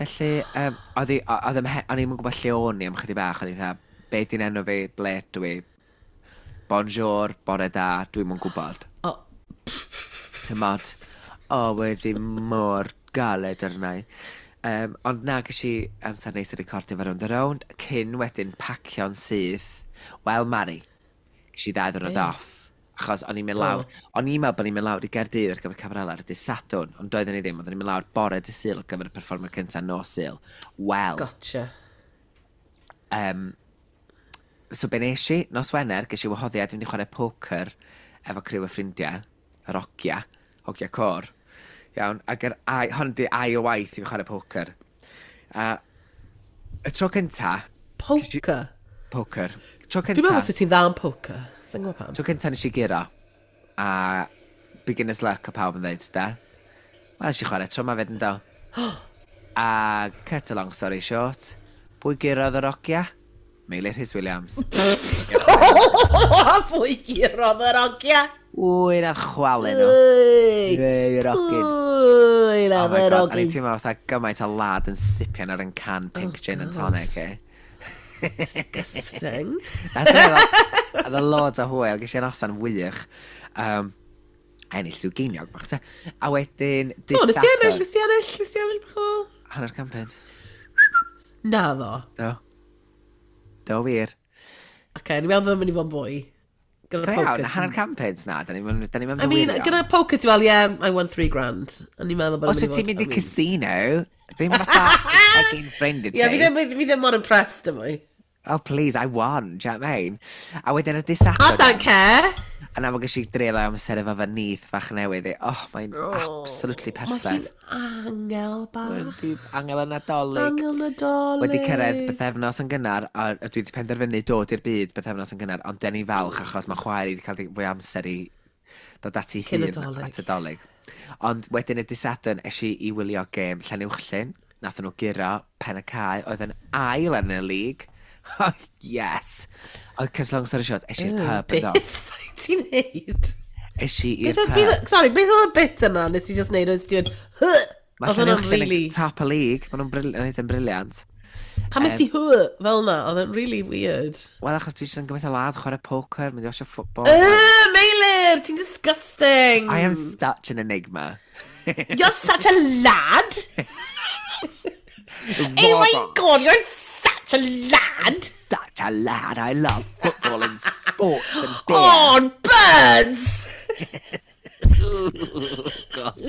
Felly, um, oedd i- oedd ymhe- o'n i'm yn gwybod lle o'n i am chydig bach, o'n i'n dweud, be di'n enw fi, ble dwi, bonjour, bore da, dwi'm yn gwybod. Oh, Tymod, o, wedi mor galed arna i. Um, ond na, ges i amser neis i recordio fo Rownd a Rownd, cyn wedyn pacio'n syth. Wel, Mari, ges i ddau ddwrnod Be? off. Achos o'n i'n mynd lawr, o'n i'n meddwl bod ni'n mynd lawr i Gaerdydd ar gyfer Cabarella ar y dydd Sadwrn, ond doedden ni ddim, oedden ni'n mynd lawr bore dydd Sul ar gyfer y perfformiad cyntaf nos Sul. Wel, Gotcha. um, so be nes i, nos Wener, ges i wahoddiad i fynd i chwarae poker efo criw o ffrindiau, yr ogia, ogia cor. Iawn, ac yr ai, hon di ail waith i fi chwarae poker. A y tro cynta... Poker? Poker. Tro cynta... Dwi'n meddwl sut ti'n dda yn poker. Sa'n gwybod pam. Tro cynta nes i guro. A beginner's luck o pawb yn dweud, da. Wel, nes i chwarae tro ma fyd yn do. A cut a long story short, pwy gurodd yr ogia? Meilir Rhys Williams. Pwy gurodd yr ogia? Wy na chwalu nhw. Ei, yr ogyn. Wy na Oh my yr God, a ni ogyn. teimlo fatha gymaint o lad yn sipian ar yn can pink gin and tonic, eh? Disgusting. Na, ti'n meddwl, oedd y loads o hwyl, ges i noson wych. Um, ennill rhyw geiniog bach, te. A wedyn, O, nes ti ennill, dydd nes ti ennill, nes ti ennill bach o... Hanner can punt. Na ddo. Do. Do wir. Oce, ni'n meddwl bod yn mynd i fod yn fwy. Gyda Da poker. iawn, hanner can punt na, da ni'n mynd da ni'n I mean, gyda poker ti fel, yeah, I won three grand. A ni'n meddwl bod Os yn wyt ti'n mynd i I mean- casino, ddim fatha egin ffrind i ti. Ie, fi ddim, fi ddim mor impressed am mwy. Oh, please, I won, do you know what I mean? A wedyn y dydd I Sadwrn, don't care. a na fo ges i dreulio amser efo fy nith fach newydd i. Oh, mae'n absolutely Mae hi'n perffaith. angel bach. Wedi angel y Nadolig. Angel Nadolig. Wedi cyrraedd bythefnos yn gynnar, a a dwi wedi penderfynu dod i'r byd bythefnos yn gynnar, ond den ni falch achos mae chwaer i wedi cael fwy o amser i dod at ei Cyn y hun Dolig. at y Dolig. Ond wedyn y dydd Sadwrn es i i wylio gêm Llanuwchllyn, nath nhw guro pen y cae, oedd yn ail yn y lig. Oh, yes! Ond cos long story short, es i'r pub yn do. Beth wyt ti'n neud? Es i i'r Beth oedd- pub. beth- Sorry, beth oedd y bit yna nes ti just neud? Oedd ti'n mynd, Mae Oedd hwnna'n Llanuwchllyn really... yn top y league, maen nhw'n brill- yn eitha brilliant. Pam nes ti hy fel na? Oedd e'n really weird. Wel, achos dwi jyst yn gymaint o lad chwarae poker, mynd i watcho football. Uh, Meilir, ti'n disgusting. I am such an enigma. You're such a lad. Oh my God, you're such a lad. Such a lad. I love football and sports and beer. Oh, and birds. God.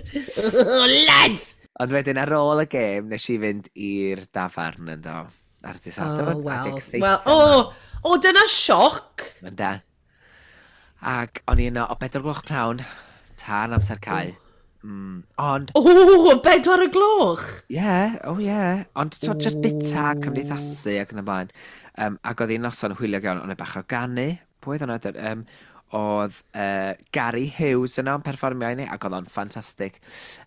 Lads. Ond wedyn ar ôl y gêm, nes i fynd i'r dafarn yn do. Ar dydd Sadwrn. Oh, well. Adeg seitan Well, oh, oh, dyna sioc. Yn da. Ac o'n i yno o bedwar gloch pnawn, tan amser cau. Mm. Ond, Oh, bedwar y gloch. ie, yeah, oh ie. Yeah. Ond so, just bita, cymdeithasu ac yn y blaen. Um, ac oedd hi'n noson hwyliog iawn, ond y bach o ganu. Pwy oedd hwnna? Um, oedd uh, Gary Hughes yno yn perfformio i ni, ac oedd o'n ffantastig.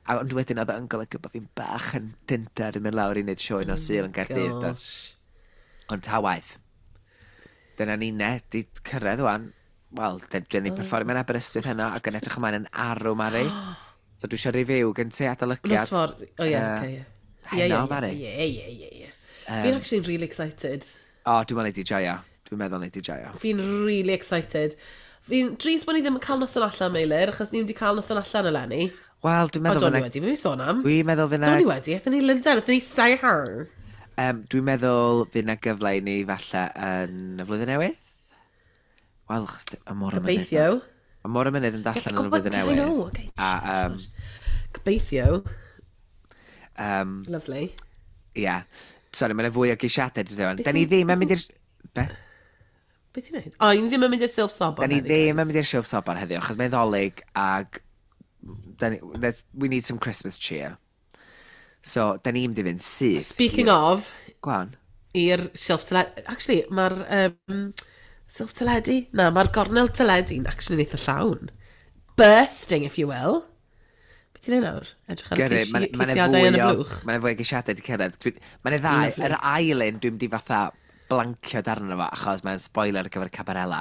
A ond wedyn oedd o'n golygu bod fi'n bach yn dyndar yn mynd lawr i wneud sioe nos Sul yn Gaerdydd. do. Gosh. Ond ta waith. Dyna ni ne, di cyrraedd wan. Wel, dyn ni perfformio yn Aberystwyth heno ac yn edrych ymlaen yn arw, Mari. So dwi eisiau review gen ti adolygiad. Nos for... Oh, ie, Yy, okay, ie. Ie, heno, ie, Mari. Ie, ie, ie, ie. Fi'n actually really excited. O, dwi'n meddwl nei di joio. Dwi'n meddwl nei di joio. Fi'n really excited. Fi'n drist bod ni ddim yn cael noson allan, Meilir, achos ni wedi cael noson allan eleni. Wel, dwi'n O, meddwl do'n ni fyna... wedi, mae'n sôn am. Dwi'n meddwl fyna... Do'n ni wedi, aethon ni Lundain, aethon ni Soho. Um, dwi'n meddwl fydd na gyfle i ni falle yn y flwyddyn newydd. Wel, achos y mor y mynydd. Gobeithio. Y mor y mynydd yn darllen yn y flwyddyn I newydd. know, okay. A, um, Gobeithio. um, Lovely. ie. Sorry, mae'n fwy o geisiadau dwi dweud. Beth Da ni ti'n- ddim yn beth mynd i'r... Be? Beth ti'n neud? O, ni ddim yn mynd i'r silff sobor Da ni heddi, ddim guys. yn mynd i'r silff sobor heddiw, achos mae'n Ddolig ag... Da ni, there's- we need some Christmas cheer. So, da ni'n mynd i fynd syth. Speaking of, Go on. i'r silff teledu... Actually, mae'r um, silff teledu... Na, mae'r gornel teledu'n actually eitha llawn. Bursting, if you will. Beth ti'n neud nawr? Edrych ar y Gyrru, ceisi- mae'n ma ceisiadau fwy yn y o... blwch. Mae'n fwy o geisiadau wedi cyrraedd. Dwi- Mae'n ddau. Lovely. Yr ail un, dwi'n mynd i fatha blancio darn o fo, achos mae'n spoiler ar gyfer Cabarella.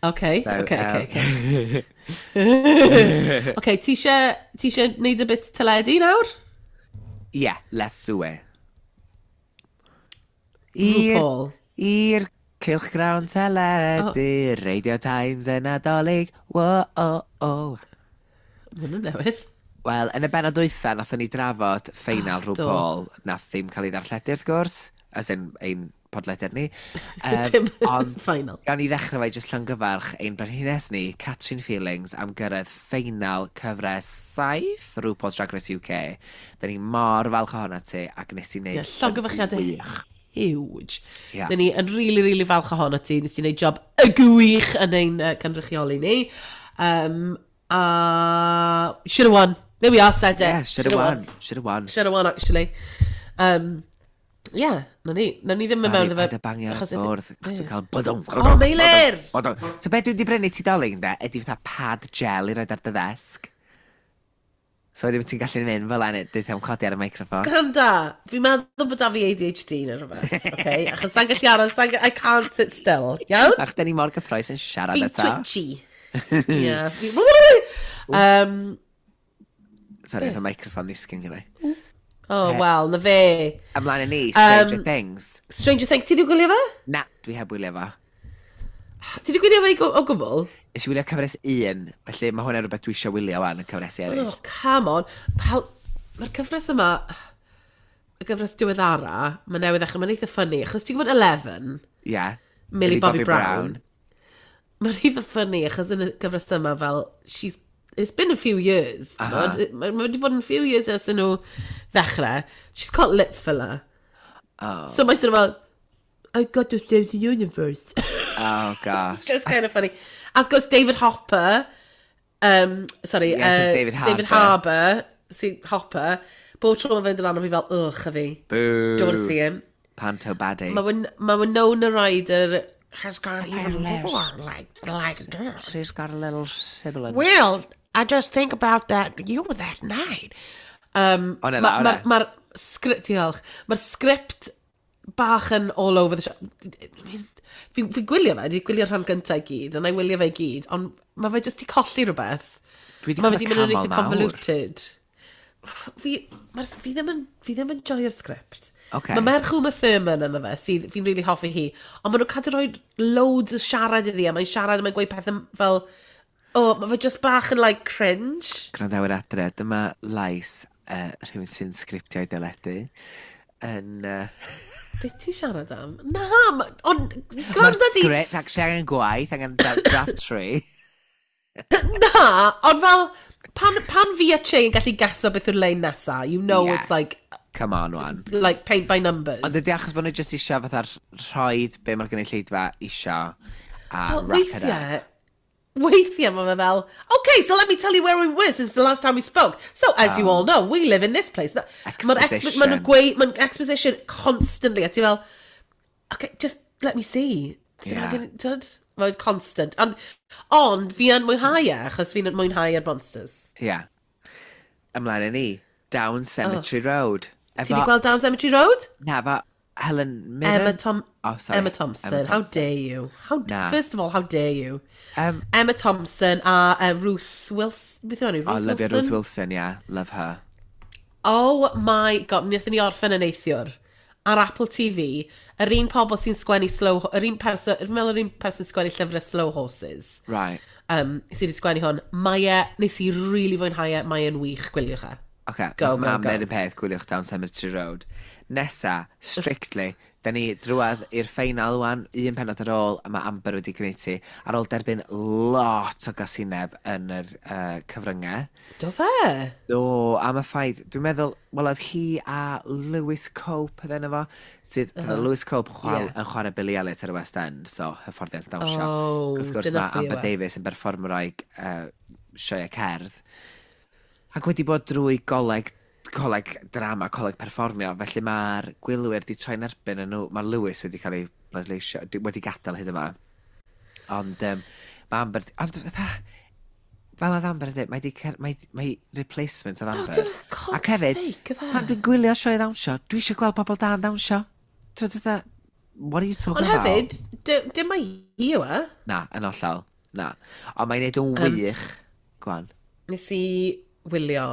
Okay, So, okay, um, okay, okay. Okay, ti eisiau ti eisiau neud y bit teledu nawr? Yeah, let's do it. I'r RuPaul. i'r cylchgrawn teledu, oh. Radio Times yn Nadolig, wo o o. Mae hwnnw'n newydd. Wel, yn y benod dwytha, nathon ni drafod ffeinal Ah, do. RuPaul, nath ddim cael ei ddarlledu wrth gwrs, as in ein podlediad ni. Um, Dim ond final. gawn ni ddechrau fe jyst llongyfarch ein brenhines ni, Catrin Feelings, am gyrraedd ffeinal cyfres saith RuPaul's Drag Race U K. Da ni mor falch ohono ti, ac nes ti wneud Ie, llongyfarchiadau yn wych. huge. Ie. Dyn ni yn really, really falch ohono ti. Nes ti wneud job y gwych yn ein uh, cynrychioli ni. Um, a should have won. There we are, said it. Yeah, should have won. Should have won. Should have won, actually. Um, yeah, na ni. Na ni ddim yn mewn iddo fe. Paid a bangio ar y bwrdd. Chos dwi'n cael bydwng. O, Meilir! So be dwi wedi brynu ti Dolig, ynde, ydy fatha pad gel i roed ar dy ddesg. So wedyn ti'n gallu mynd fel yna, dweud am codi ar y microffon. Gwranda, fi'n meddwl bod da fi A D H D neu rhywbeth, okay? Achos sa'n gallu aros, sa'n I can't sit still, iawn? Ach, da ni mor gyffrous yn siarad Fi'n eto. Twitchy. Yeah. Fi... Um, Sorry, oedd y microffon ddisgyn gyda. Oh, well, na fe. Ymlaen â ni, Stranger Um, Things. Stranger Things, ti di gwylio fe? Na, dwi heb wylio fo. Ti di gwylio fe i o gwbl? Nes i wylio cyfres un, felly mae hwnna'n rhywbeth dwi eisiau wylio wan, y cyfres eraill. Oh, come on. Fel, mae'r cyfres yma, y gyfres diweddara, mae newydd ddechrau, mae'n eitha funny, achos ti'n gwybod Eleven, Yeah. Millie Bobby Brown. Mae'n eitha funny, achos yn y gyfres yma, fel, she's, it's been a few years, ti'n gwybod? Mae mae wedi bod yn few years ers nhw ddechrau. She's got lip filler. Oh, So mae'n sort of fel, "I got to save the universe." Oh gosh. It's just kind of funny. A of course, David Hopper, um, sorry, Yes, uh, David David Harbour, si, Hopper, bob tro mae'n fynd yn arno fi fel, "Ugh, a fi." Boo. Don't want to see him. Panto baddie. Mae Win- mae Winona Ryder has got even more like, like this. She's got a little sibilant. Well, I just think about that, you that night. Um, O, na, Mae'r o, ma, na. ma sgript, diolch, mae'r sgript bach yn all over the shop. I mean, fi, fi gwylio fe, dwi'n gwylio'r rhan gyntaf i gyd, a na i wylio fe i gyd, ond mae fe jyst i colli rhywbeth. Dwi 'di Mae fe clywed di mynd yn canmol eitha mawr. Convoluted. Fi, mae'r, fi ddim yn, fi ddim yn joio'r sgript. Ocê. Mae merch Uma Thurman yna fe, sydd fi'n really hoffi hi, ond maen nhw'n cadw rhoi loads o siarad iddi, a mae'n siarad a mae'n gweud pethau fel, oh, mae fe just bach yn like cringe. Gwrandawyr adre, dyma lais uh, rhywun sy'n sgriptio i deledu. Yn... Uh, Be ti siarad am? Na, ma- ond Mae'r gwranda di. sgript actually angen gwaith, angen dra- draft tree. Na, ond fel, pan, pan fi a Che yn gallu geso beth yw'r lein nesa, you know Yeah. it's like, Come on, wan. like paint by numbers. Ond ydy achos bod nhw jyst isio fatha rhoid be mae'r gynulleidfa isio a Wel, wrap it up. weithiau, weithiau mae fe fel, "Okay, so let me tell you where we were since the last time we spoke. So, as you all know, we live in this place." Mae'r expo Exposition. Maen nhw'n gweud, mae'n exposition constantly, a ti fel, "Okay, just let me see." So Yeah. yeah. Mae'n mae'n constant. Ond, ond fi yn mwynhau e, achos fi'n mwynhau yr monsters. Ie. Yeah. Ymlaen â ni. Down Cemetery Road. Ti wedi gweld Down Cemetery Road? Na, efo Helen Mirren. Emma, Tom Oh, sorry. Emma Thompson. Emma How Thompson. dare you? How, Na. First of all, how dare you? Um, Emma Thompson a uh, Ruth Wilson. Beth yw enw? Ruth Oh, love Wilson? Ruth Wilson, yeah. Love her. Oh my God, wnaethon ni orffen yn neithiwr ar Apple T V, yr un pobl sy'n sgwennu Slow... Yr un person, fi'n meddwl yr un person sgwennu llyfrau Slow Horses, Right. um, sydd wedi sgwennu hwn. Mae e, nes i really fwynhau e, mae e'n wych, gwyliwch e. Okay, Go, nath go, mam go. ddeud y peth, gwyliwch Down Cemetery Road. Nesa, Strictly, da ni drwadd i'r ffeinal wan, un penod ar ôl, a mae Amber wedi gwneud ti, ar ôl derbyn lot o gasineb yn yr uh, cyfryngau. Do fe? Do, am y ffaith, dwi'n meddwl, wel, oedd hi a Lewis Cope oedd enw fo, sydd, uh -huh. Lewis Cope yn chwarae, Ie. yn chwarae Billy Elliot ar y West End, so hyfforddiant dawnsio. Oh, Wrth gwrs, dyna mae pwy yw Amber e. Davies yn berfformwraig uh, sioe cerdd, ac wedi bod drwy goleg, coleg drama, coleg perfformio, felly mae'r gwylwyr di troi'n erbyn yn nhw, mae Lewis wedi cael ei bleidleisio, di- wedi gadael hyd yma. Ond um, mae Amber, ond fatha, fel oedd Amber yn dweud, mae di, cer- mae, mae replacement oedd Oh, Amber. dyna God's Ac hefyd, sake, ife? pan dwi'n gwylio sioe ddawnsio, dwi eisiau gweld pobl da yn dawnsio. Ti'n fatha, what are you talking Ond about? hefyd, dy- dim mai hi yw e. Na, yn hollol, na. Ond mae'n neud yn wych. Go on. Nes i wylio,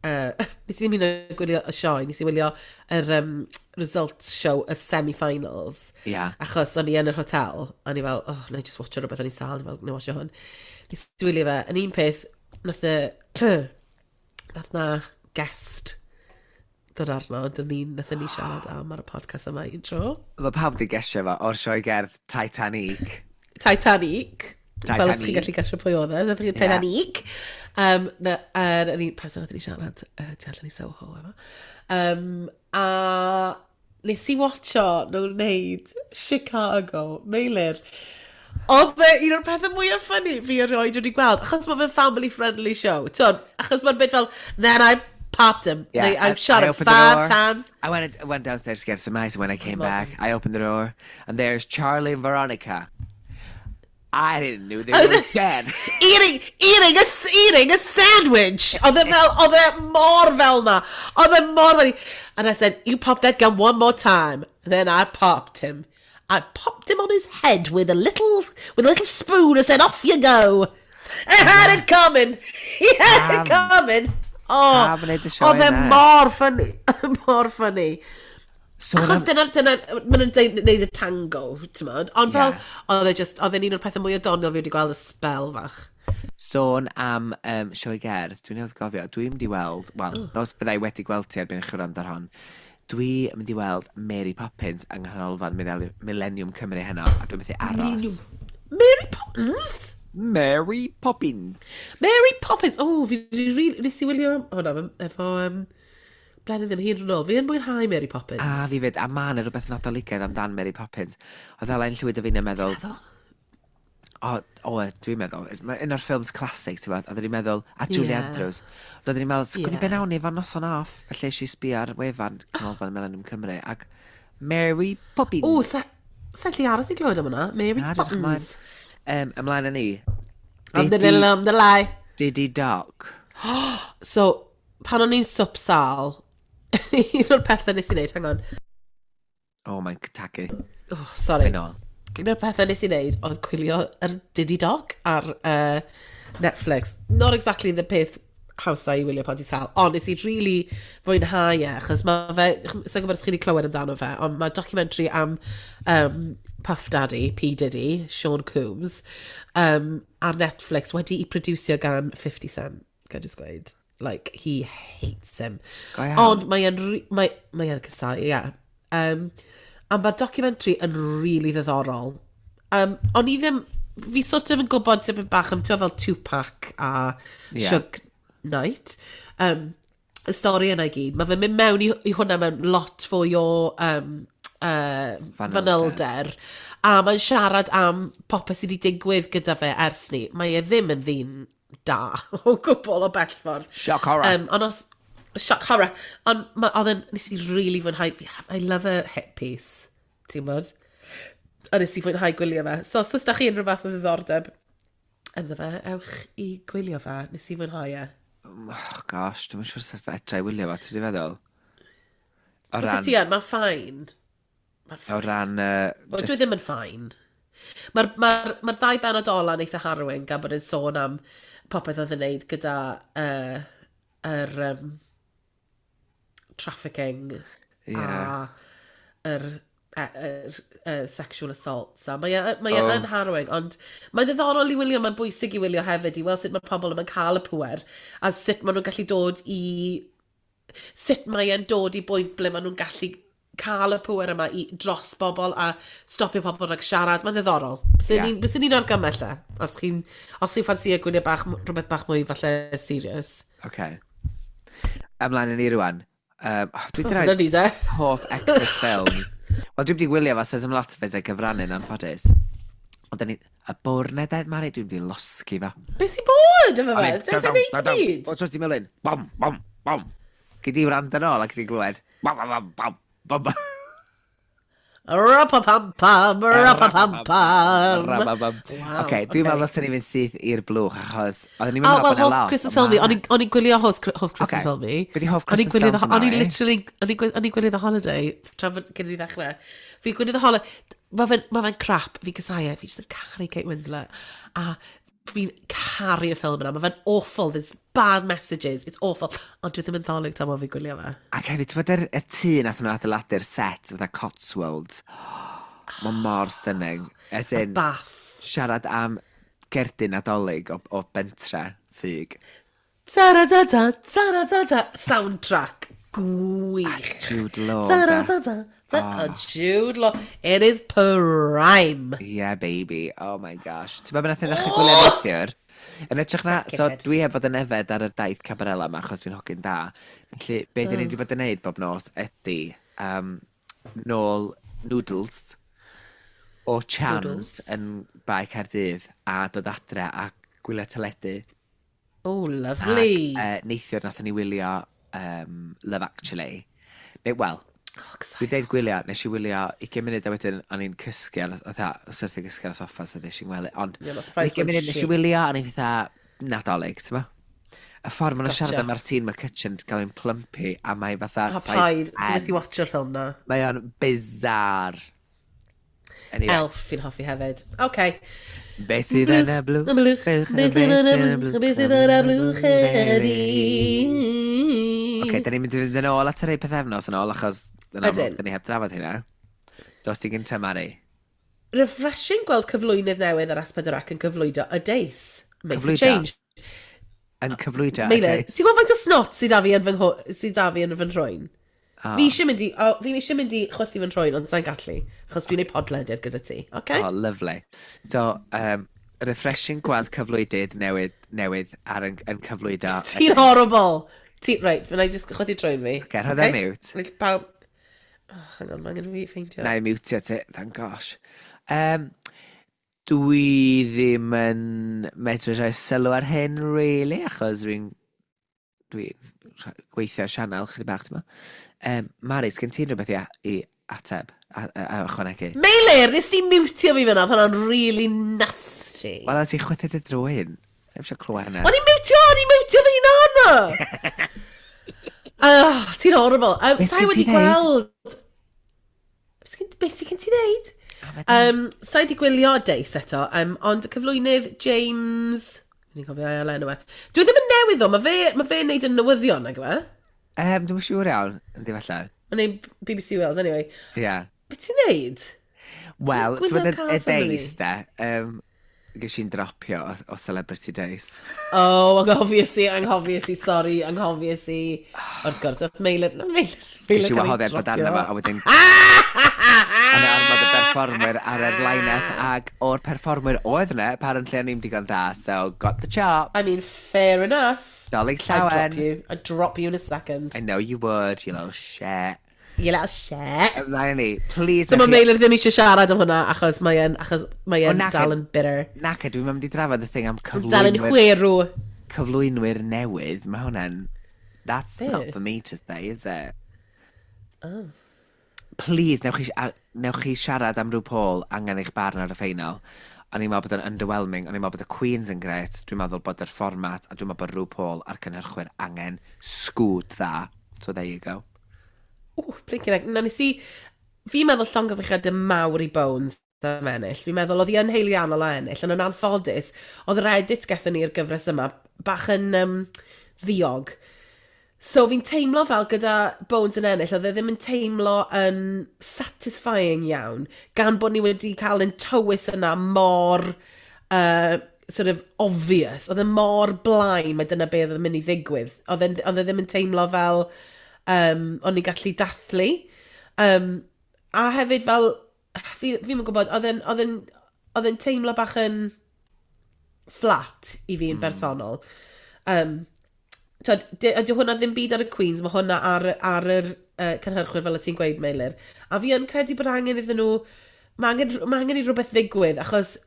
uh, nes i ddim hyd yn oed gwylio y sioe, nes i wylio yr um, results show, y semi-finals. Ia. Achos o'n i yn yr hotel, a o'n i fel, "Oh, na i just watcho rhywbeth," o'n i sal, o'n i fel, "Na i watcho hwn." Nes i wylio fe, yn un peth, nath y, nath na guest dod arno, dyn ni, nath ni siarad am ar y podcast yma un tro. Mae pawb di gesio fo o'r sioe gerdd Titanic. Titanic. Fel os Titanic. chi'n gallu gesio pwy oedd e. Nath chi Titanic. Um, na, yr yr un person nath ni siarad uh, tu allan i Soho efo. Um, a nes i watcho nhw'n wneud Chicago, Meilir. Oedd e un o'r pethau mwyaf funny fi erioed wedi gweld, achos mae fe'n family-friendly show. T'wod, achos mae'n bit fel, "Then I popped him." Yeah, Neu, "I shot I him opened the five door. times." I went, I went downstairs to get some ice, and when I came Love back, I opened the door, and there's Charlie and Veronica. I didn't know they were dead. Eating, eating, a, eating a sandwich. Oedd e fel, oedd e mor fel na. Oedd e mor funny. "And I said, 'You pop that gun one more time.' And then I popped him. I popped him on his head with a little, with a little spoon. I said, 'Off you go.' He had it coming. He had it coming." Oh, Pam wneud y sioe oedd e yna? mor funny. Mor funny. So Achos dyna, dyna, maen nhw'n deud- neud y tango, ti'n modd. Ond fel, Ie. oedd e just, oedd e'n un o'r pethau mwy o doniol fi wedi gweld y spel fach. Sôn am um, sioe gerdd, dwi'n newydd gofio, dwi'n mynd i weld, wel, oh. Nos byddai wedi gweld ti erbyn i chi wrando ar hon, dwi'n mynd i weld Mary Poppins yng Nghanolfan Millennium- Millennium Cymru heno, a dwi'n methu aros. Mary Poppins? Mary Poppins! Mary Poppins! Oh, fi di really, nes i wylio hwnna efo, um, blwyddyn ddim hir yn ôl. Fi yn mwynhau Mary Poppins. A fi fyd, a ma' 'na rhywbeth Nadoligaidd amdan Mary Poppins. Oedd Elain Llwyd a fi'n meddwl, Meddwl? O, o, dwi'n meddwl, mae un o'r ffilms classic, ti'n bod, oedden ni'n meddwl, a Julie Ie. Andrews. Oedden ni'n meddwl, sgwn i Ie. be nawn ni efo noson off. Felly es i sbio ar wefan Canolfan Millennium Cymru, ac Mary Poppins. O, sa, sa lli aros i glywed am hwnna. Mary Na, dwi'n Poppins. Um, ymlaen â ni. Am the little, am the lie. Diddy Doc. So, pan o'n i'n swp sal, un o'r pethau nes i wneud, hang on. Oh, mae'n tagu. Oh, sorry. I know. Un o'r pethau nes i wneud oedd gwylio yr Diddy Doc ar uh, Netflix. Not exactly the peth hawsa i wylio pan ti'n sal, ond nes i really fwynhau e, achos mae fe, sa'n gwybod os chi wedi clywed amdano fe, ond mae documentary am um, Puff Daddy, P. Diddy, Sean Combs, um, ar Netflix wedi i producio gan fifty Cent, ga i just gweud. Like, he hates him. Go iawn. Ond mae e'n, re- mae, mae e'n casau, ie. Yeah. Um, a mae'r documentary yn really ddiddorol. Um, o'n i ddim, fi sort of yn gwybod tipyn bach am, ti'n fel Tupac a Ie. yeah. Suge Knight. Um, y stori yna i gyd. Mae fe'n mynd mewn i, i hwnna mewn lot fwy o um, uh, Fanylder. fanylder. A mae'n siarad am popeth sydd wedi digwydd gyda fe ers ni. Mae e ddim yn ddyn da o gwbl o bell ffordd. Shock horror. Um, ond os... Shock horror. Ond ma- oedd e'n... Nes i really fwynhau... fi- I love a hit piece. Ti'n gwbod? A nes i fwynhau gwylio fe. So, os oes da chi unrhyw fath o ddiddordeb ynddo fe, ewch i gwylio fe. Nes i fwynhau e. Oh, gosh, dwi'n siŵr sut fedra i wylio fo, ti'n feddwl? O Os ran, ti yn, mae'n fine. Mae'n o fine. ran, uh, Wel, just, dwi ddim yn fine. Mae'r ma ma ddau benod ola yn eitha harrowing gan bod yn sôn am popeth oedd yn neud gyda uh, yr um, trafficking yeah. a yr, e, yr, uh, sexual assaults. A mae e, mae e Oh. yn harrowing, ond mae'n ddiddorol i wylio, mae'n bwysig i wylio hefyd, i weld sut mae pobl yma'n cael y pwer, a sut maen nhw'n gallu dod i... Sut mae e'n dod i bwynt ble maen nhw'n gallu cael y pwer yma i dros bobl a stopio pobl rhag siarad. Mae'n ddiddorol. Byswn Ie. yeah. ni'n ni'n argymell e. Os chi'n os chi'n ffansio gwylio bach, rhywbeth bach mwy falle serious. Okay. Ymlaen â ni rwan. Um, oh, dwi wedi Dyna rhoi ni de. hoff Xmas films. Wel, dwi'n wedi gwylio fo, so ddim lot o fedra gyfrannu'n anffodus. Ond da ni... Y bwrned, Mari, dwi'n wedi losgi fo. Be sy'n bod efo fe? Dwi'n sy'n neud i byd? O, tros ti melyn. Bom, bom, bom. Gyd i wrando nôl ac gyd i glywed. Bom, bom, bom, bom, bom. Rapapam-pam, rapapam-pam. Rababam. Wow, Oce, dwi'n ocê. meddwl os ni'n mynd syth i'r blwch, achos oedden ni'n Oh, meddwl well, bod yna hoff lot. Christmas ond film fi. ma' O'n i- o'n i'n gwylio hoff, hoff Christmas Ocê. film fi. Be' 'di hoff O'n i'n Christmas gwylio film The- ti, O'n i'n Mari? literally, o'n i'n gwy- o'n i'n gwylio The Holiday, tra fod cyn i ni ddechrau. Fi'n gwylio The Holiday, mae fe'n ma fe crap, fi'n casau e, fi jyst yn caru Kate Winslet. A fi'n caru y ffilm yna, mae fe'n awful, there's bad messages, it's awful. Ond dwi ddim yn ddolig tan bod fi'n gwylio fe. Ac hefyd, ti'n bod yr y tŷ nath nhw adeiladu'r set, fatha Cotswolds. Mae mor stunning. As in, Bath. siarad am gerdyn Nadolig o, o bentre ffug. Ta-ra-ta-ta, ta-ra-ta-ta. Soundtrack. Gwych. Jude Law. de. Ta-ra-ta-ta. Ta oh. Jude Law. It is prime. Yeah, baby. Oh my gosh. Ti'n meddwl nath i ddechrau gwylio neithiwr? Yn hytrach na, so head. dwi heb fod yn efed ar y daith Cabarella yma, achos dwi'n hogyn da. Felly, be dyn ni wedi bod yn neud bob nos ydy um, nôl noodles. O chance Noodles. yn Bae Caerdydd a dod adre a gwylio teledu. Oh, lovely. Ac uh, neithiwr nathon ni wylio um, Love Actually. Neu, wel, Oh, dwi'n deud gwylio, nes i wylio ugain munud a wedyn o'n i'n cysgu, ar, fatha, syrthio gysgu ar y soffa, so ddes i'n gwely. Ond You're not surprised ugain munud nes i shit. wylio, a o'n i'n fatha Nadolig, ti'n ma? Y ffordd maen nhw'n Gotcha. siarad am Martine McCutcheon gael ein plumpy, a mae fatha O, size paid. Dwi'n ten. methu watcho'r ffilm na. Mae o'n bizarre. Anyway, Elf fi'n hoffi hefyd. Okay. Beth sydd yn y blwch? Y blwch. Beth sydd yn y blwch? Beth sydd yn y blwch heddi? Oce, da ni'n mynd i fynd yn ôl at yr ei pethefnos yn ôl, achos yn amlwg, Ydyn. da ni heb drafod hynna. Dos ti gynta, Mari. Refreshing gweld cyflwynydd newydd ar S pedwar C yn cyflwydo y Deis. Makes a Cyflwydo? change. Yn cyflwydo y Meilir, Deis. ti'n gwybod faint o snot sydd da fi yn fy ngho- sydd da fi yn fy nhrwyn? Oh. Fi eisiau mynd i, oh, fi eisiau mynd i chwythu fy nhrwyn, ond sa'n gallu, achos dwi'n ei podlediad gyda ti, okay? Oh, lovely. So, um, refreshing gweld cyflwydydd newydd, newydd ar yn, yn cyflwydo. Ti'n horrible! Ti, right, fyna i just chwythu trwyn fi. Ocê, rho ar mute. Well, pawb. Oh, hang on, mae angen fi ffeindio. Na i mutio ti, thank gosh. Um, dwi ddim yn medru rhoi sylw ar hyn, really, achos dwi'n dwi'n gweithio ar sianel chydig bach, ti'n Um, Mari, sgen ti rhywbeth i, i ateb, a, a, a ychwanegu? Meilir, nes ti mutio fi fyna, oedd hwnna'n really nasty. Wel, a ti chwythu dy drwyn. Sa'n eisiau clywed hynna. O'n i'n mutio, o'n i'n mutio fy hunan! Ah, ti'n horrible. Um, Beth Sai sgen wedi ti ddeud? gweld. Beth sgen- Beth sy'n ti ddeud? Um, sai wedi gwylio Deis eto, um, ond y cyflwynydd James. Ni'n cofio ail enw e. Dwi ddim yn newydd o, mae fe, ma fe'n neud yn newyddion, nag yw e? Um, dwi'n siŵr iawn, yndi falle. Mae'n neud B B C Wales, anyway. Ie. Yeah. Beth ti'n neud? Wel, ti'n gwylio gwybod y cas arno fi? Deis, de, um, ges i'n dropio o, o Celebrity Days. Oh, anghofies i, anghofies i, sorry, anghofies i. Wrth gwrs, oedd Meilir, na Meilir, Ges Meilir i cael ei wahoddiad bod arno dropio. fo, a wedyn yna ormod o berfformwyr ar yr line-up, ag o'r perfformwyr oedd yna, apparently o'n i'm digon da, so got the chop. I mean, fair enough. Dolig I'd drop llawen. you. I'd drop you in a second. I know you would, you little shit. You little shit. Ymlaen ni, please. So mae newch chi- Meilir ddim eisiau siarad am hwnna achos mae e'n achos mae e'n O, nac- dal yn bitter. Naca, dwi'n mynd i drafod y thing am Dal yn cyflwynwyr, chwerw. cyflwynwyr newydd. Mae hwnna'n. That's Be? not for me to say, is it? Oh. Please, newch chi, a- newch chi siarad am RuPaul angen eich barn ar y ffeinal. O'n i'n meddwl bod o'n underwhelming, o'n i'n meddwl bod y Queens yn gret, dwi'n meddwl bod yr fformat, a dwi'n meddwl bod RuPaul a'r cynhyrchwyr angen sgwd dda. So there you go. Ww, blinking heck. Na, nes i. Fi'n meddwl llongyfarchiadau mawr i Bones am ennill. Fi'n meddwl oedd hi yn haeddiannol o ennill, ond yn anffodus, oedd yr edit gethon ni'r gyfres yma bach yn um, ddiog. So fi'n teimlo fel gyda Bones yn ennill, oedd e ddim yn teimlo yn satisfying iawn, gan bod ni wedi cael yn tywys yna mor uh, sort of obvious. Oedd e mor blaen, mae dyna beth oedd yn mynd i ddigwydd. Oedd e, oedd e ddim yn teimlo fel um, o'n i'n gallu dathlu. Um, a hefyd fel, fi, fi'n gwybod, oedd e'n, oedd e'n, oedd e'n teimlo bach yn flat i fi yn mm. bersonol. Um, Twyd, ydy hwnna ddim byd ar y Queens, mae hwnna ar, ar yr uh, cynhyrchwyr fel y ti'n gweud, Meilir. A fi yn credu bod angen iddyn nhw, mae angen, mae angen i rhywbeth ddigwydd, achos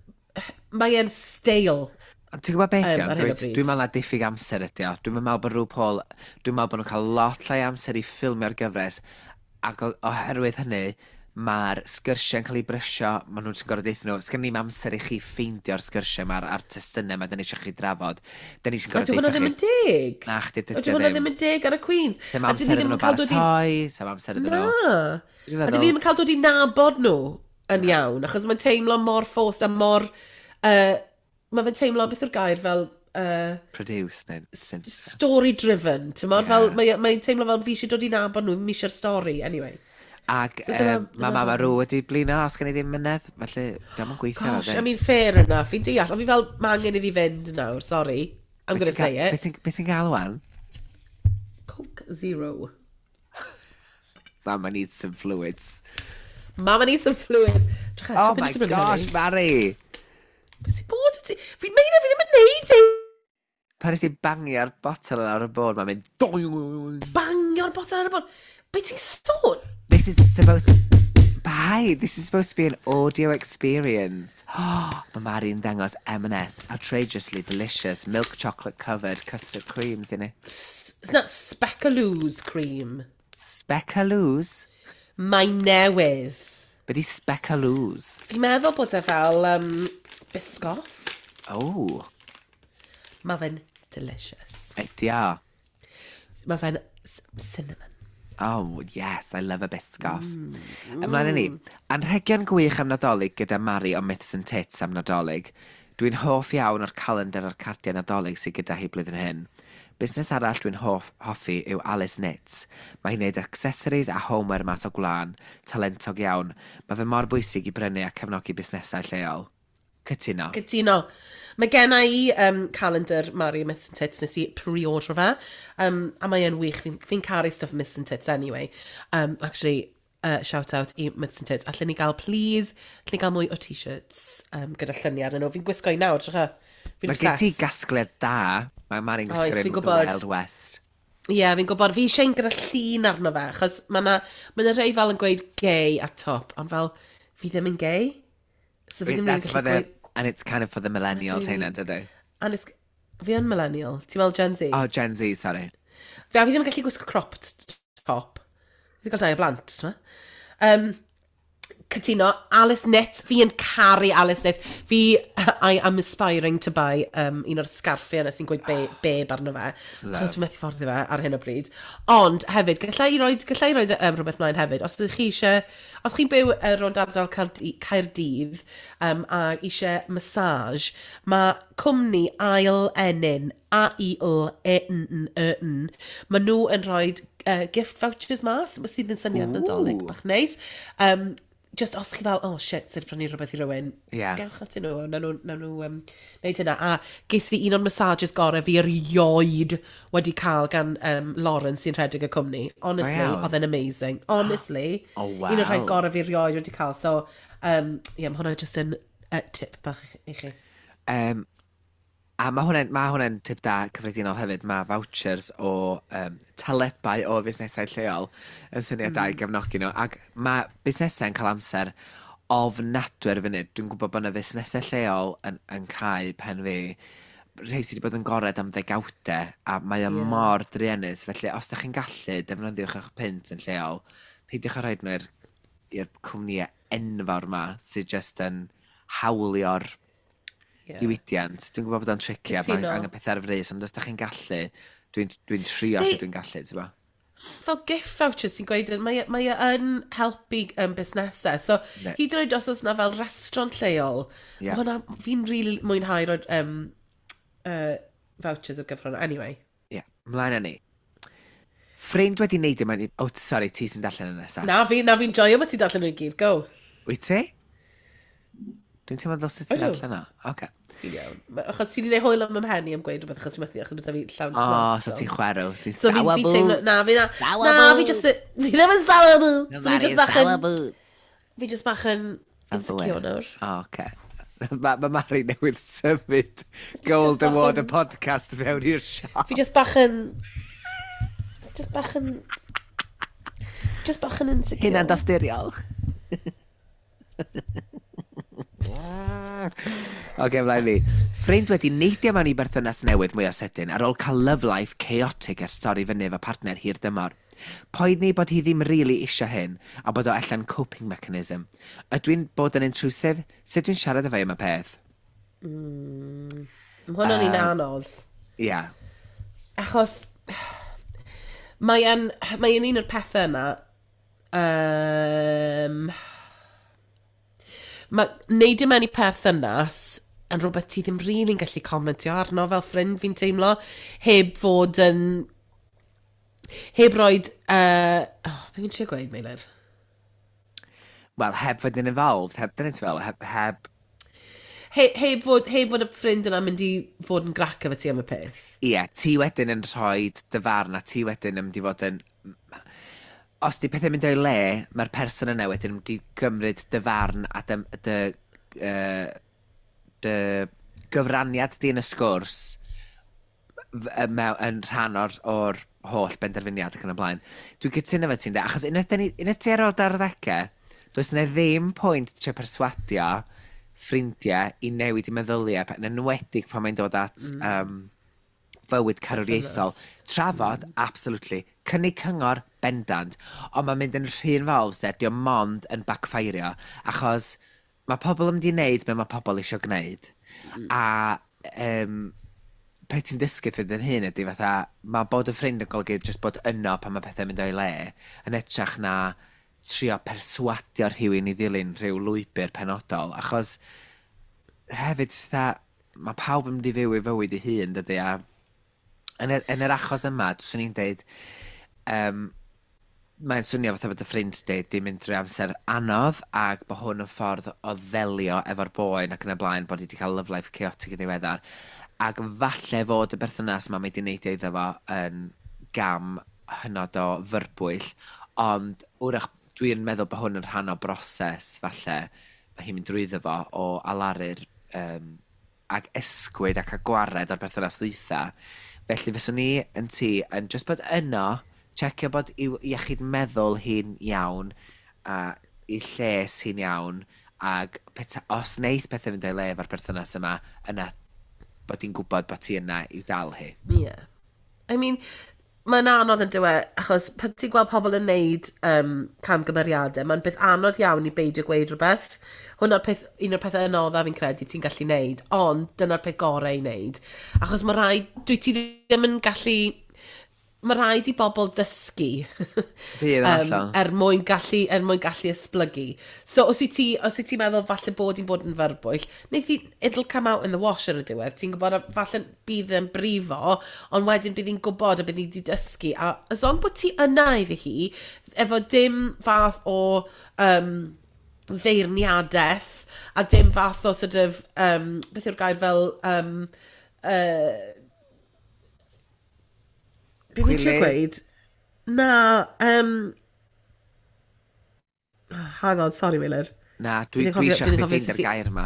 mae e'n stale. Ond ti'n gwybod beth, Yym, ar hyn o bryd. Dwi'n meddwl na diffyg amser ydi o. Dwi'n meddwl bod RuPaul, dwi'n meddwl bod nhw'n cael lot llai amser i ffilmio'r gyfres, ac o- oherwydd hynny, mae'r sgyrsiau'n cael ei brysio, maen nhw'n gorfod deutha nhw, sgen ni'm amser i chi ffeindio'r sgyrsiau ma'r a'r testunau ma da ni eisiau chi drafod. Da ni eisiau A gorfod dyw hwnna deutha ddim chi. yn deg. Na, chdi, dydy A dyw hwnna ddim. ddim yn deg ar y Queens. Sa'm A dyn ni amser iddyn ddim nhw yn cael dod i baratoi, sa'm amser iddyn nhw. Na. Dwi'n A dyn feddwl- ni ddim yn cael dod i nabod nhw yn iawn, achos mae'n teimlo mor forced a mor. Uh, mae fe'n teimlo, beth yw'r gair fel Uh, Produce neu syn- story-driven, ti'n modd? Ie. Fel, mae'n mae teimlo fel fi eisiau dod i nabod nhw, mi eisiau'r stori, anyway. Ac So dyna- um, dyna mae Mama barn. Ru wedi blino os gen i ddim mynedd, felly diolch yn gweithio. Gosh, I mean, fair enough, fi'n deall, ond fi fel, mae angen iddi fynd nawr, sorry. I'm gonna say it. Beth ti'n gael wan? Coke Zero. Mama needs some fluids. Mama needs some fluid. Drycha, Oh ti'n my mynd i brynu gosh, hynny? Mari! Beth sy'n bod i ti? Fi'n meina fi ddim yn neud e! Pan nes ti bangio'r botel ar y bord, mae'n mynd doing. Bangio'r botel ar y bord. Be ti'n sôn? This is supposed to. Paid! Why? This is supposed to be an audio experience. Oh, mae Mari'n dangos M and S outrageously delicious milk chocolate covered custard creams in it. It's not Speculoos cream. Speculoos? Mae newydd. Be di Speculoos? Fi'n meddwl bod e fel um, Biscoff. Oh, Mae fe'n delicious. Ydi o. Mae fe'n s- cinnamon. Oh, yes, I love a Biscoff. Mm. Ymlaen â ni. Anrhegion gwych am Nadolig gyda Mari o Myths and Tits am Nadolig. Dwi'n hoff iawn o'r calendar a'r cardiau Nadolig sydd gyda hi blwyddyn hyn. Busnes arall dwi'n hoff, hoffi yw Alice Knits. Mae hi'n gwneud accessories a homeware mas o gwlân, talentog iawn. Mae fe mor bwysig i brynu a cefnogi busnesau lleol. Cytuno. Cytuno. Mae gen i um, calendar Mari Myths and Tits, nes i pre-order fe. Um, a mae e'n wych. Fi'n fi caru stuff Myths and Tits anyway. Um, actually, uh, shout out i Myths and Tits. Allen ni gael, please, allen ni gael mwy o T-shirts um, gyda lluniau arnyn nhw. Fi'n gwisgo i nawr, drycha. Fi'n Mae gen ti obsessed. gasgliad da. Mae Mari'n Oes, gwisgo fi'n un The gwybod. Wild West. Ie, yeah, fi'n gwybod. Fi eisiau un gyda llun arno fe, achos mae na, ma na rei fel yn gweud gay a top, ond fel, fi ddim yn gay. So fi ddim yn That's for gallu the, gweud. And it's kind of for the millennials, Really- heina, dydy? And it's, fi yn millennial. Ti'n meddwl Gen Z? Oh, Gen Z, sorry. Fi, a fi ddim yn gallu gwisgo cropped top. Fi wedi cael dau o blant, ti'n Um, cytuno, Alice Knits, fi yn caru Alice Knits. Fi, I am aspiring to buy um, un o'r sgarffiau yna sy'n gweud be, babe arno fe. Achos fi'n methu fforddio fe ar hyn o bryd. Ond hefyd, gallai i roed, gallai i roed um, rhywbeth mlaen hefyd. Os ydych chi eisiau, os chi'n byw uh, rownd ardal Caerdy- Caerdydd um, a eisiau massage, mae cwmni Ail Enyn, A I L E N N E N, maen nhw yn rhoi uh, gift vouchers mas, sydd yn syniad Nadolig bach neis. Um, just os chi fel, "Oh shit, sydd wedi prynu rhywbeth i rywun," Ie. gewch atyn nhw, nawn nhw, nawn nhw um, neud hynna. A ges i un o'r massages gorau fi erioed wedi cael gan um, Lauren sy'n rhedeg y cwmni. Honestly, iawn. oedd e'n amazing. Honestly, Oh, wow. un o'r rhai gorau fi erioed wedi cael. So, um, yeah, mae hwnna just yn uh, tip bach i chi. Um, a mae hwnna'n ma hwnna'n tip da cyffredinol hefyd. Mae vouchers o um, talebau o fusnesau lleol yn syniad da i Mm. gefnogi nhw. Ac mae busnesau yn cael amser ofnadwy ar y funud. Dwi'n gwybod bod yna fusnesau lleol yn, yn cau pen fi, rhai sydd wedi bod yn gored am ddegawdau, a mae o yeah. mor druenus. Felly, os ydych chi'n gallu, defnyddiwch eich punt yn lleol. Peidiwch â rhoi nhw i'r i'r cwmnïau enfawr ma sydd just yn hawlio'r Yeah. diwydiant. Dwi'n gwybod bod o'n tricky a mae Cytuno. angen pethau ar frys, ond os da chi'n gallu, dwi'n dwi trio Neu- lle dwi'n gallu, ti'n bo? Fel gift vouchers sy'n gweud, mae, mae e yn helpu um, busnesau. So, Ne. hyd yn oed os oes yna fel restaurant lleol, Ie. yeah. hwnna, fi'n really mwynhau rhoi um, uh, vouchers ar gyfer hwnna. Anyway. Ie, yeah. Mlaen â ni. Ffrind wedi neud yma... Oh, sorry, ti sy'n darllen y nesaf. Na, fi, na fi'n joio bod ti'n darllen nhw i gyd. Go. Wyt ti? Dwi'n teimlo fel sut ti'n Ydw. darllen o. Oce. Fi'n iawn. Ma- Achos ti wedi gwneud hwyl am 'y mhen i am gweud rhywbeth achos ti'n methu, achos bod fi llawn O, snot. so ti'n chwerw. Ti'n So fi, fi teimlo, na, fi na, na, fi just, fi ddim yn sour. So fi just bach yn, fi just bach yn insecure nawr. O, oce. Mae ma Mari newydd symud Gold Just bach Award y yn- podcast fewn i'r siop. Fi just bach yn, just bach yn, just bach yn insecure. Hunan dosturiol. Oce, mlaen ni. Ffrind wedi neidio mewn i berthynas newydd mwy o sydyn ar ôl cael love life chaotic ers torri fyny efo partner hir dymor. Poeni bod hi ddim really isio hyn a bod o allan coping mechanism. Ydw i'n bod yn intrusive? Sut dwi'n siarad efo i am y peth? Mae hwnna'n un anodd. Ia. Yeah. Achos mae yn, mae yn un o'r pethau yna. Um, mae neidio mewn i perthynas yn rhywbeth ti ddim really'n gallu comentio arno fel ffrind, fi'n teimlo, heb fod yn... Heb roed... Uh, oh, be fi'n trio gweud, Meilir? Wel, heb fod yn involved, heb, dyna ti fel, heb, heb He, heb, fod, heb fod y ffrind yna mynd i fod yn grac efo ti am y peth. Ie, ti wedyn yn rhoi dy farn a ti wedyn yn mynd i fod yn... Os di pethau'n mynd o'i le, mae'r person yna wedyn yn mynd i gymryd dy farn a dy, dy, uh, dy gyfraniad di yn y sgwrs f- yy mew- yn rhan o'r, or holl benderfyniad ac yn y blaen. Dwi'n cytuno efo ti'n de, achos unwaith, dyn ni- unwaith ti ar ôl dy arddegau, Does yna ddim pwynt trio perswadio ffrindiau i newid i meddyliau, yn enwedig pan mae'n dod at mm. um, fywyd carwriaethol. Trafod, mm. absolutely. Cynnig cyngor, bendant. Ond mae'n mynd yn rhy involved, de, dio mond yn backfirio, achos mae pobl yn mynd i wneud be mae pobl eisiau gwneud. Mm. A um, pe ti'n dysgu ffrind yn hyn ydy fatha, mae bod y ffrind yn golygu jyst bod yno pan mae pethau'n mynd o'i le, yn hytrach na trio perswadio rhywun i ddilyn rhyw lwybr penodol, achos hefyd fatha, mae pawb yn mynd i fyw ei fywyd ei hun, dydy, a yn yr, yn yr achos yma, swn i'n deud, um, mae'n swnio fatha bod y ffrind di, di mynd drwy amser anodd ac bod hwn yn ffordd o ddelio efo'r boen ac yn y blaen bod hi wedi cael love life chaotic yn ddiweddar. Ac falle fod y berthynas yma mae di neidio iddo fo yn gam hynod o fyrbwyll, ond wrach dwi'n meddwl bod hwn yn rhan o broses falle mae hi'n mynd drwyddo fo o alaru'r um, ac esgwyd ac a gwared o'r berthynas ddwytha. Felly fyswn ni yn ti yn just bod yno, checio bod i'w iechyd meddwl hi'n iawn a i lles hi'n iawn ac peta, os neith pethau fynd o'i le efo'r berthynas yma, yna bod hi'n gwybod bod ti yna i'w dal hi. Yeah. I mean, mae'n anodd yn dywe, achos pan ti'n gweld pobl yn neud um, camgymeriadau, mae'n beth anodd iawn i beidio gweud rhywbeth. Hwna'r peth, un o'r pethau anoddaf fi'n credu ti'n gallu neud, ond dyna'r peth gorau i wneud. Achos mae rhaid, dwi ti ddim yn gallu, mae rhaid i bobl ddysgu Bydd yn um, hollol. er mwyn gallu, er mwyn gallu esblygu. So os wyt ti, os wyt ti'n meddwl falle bod hi'n bod yn fyrbwyll, neith hi, it'll come out in the wash ar y diwedd. Ti'n gwybod, a falle bydd yn brifo, ond wedyn bydd hi'n gwybod a bydd hi wedi dysgu. A as long bod ti yna iddi hi, efo dim fath o um, feirniadaeth, a dim fath o sort of, um, beth yw'r gair fel, um, uh, be fi'n trio Gwilydd? gweud? Na, um, hang on, sorry Meilir. Na, dwi, Fi'n dwi cofio- eisiau fi'n chdi cofio ffeindio'r sut i- gair yma.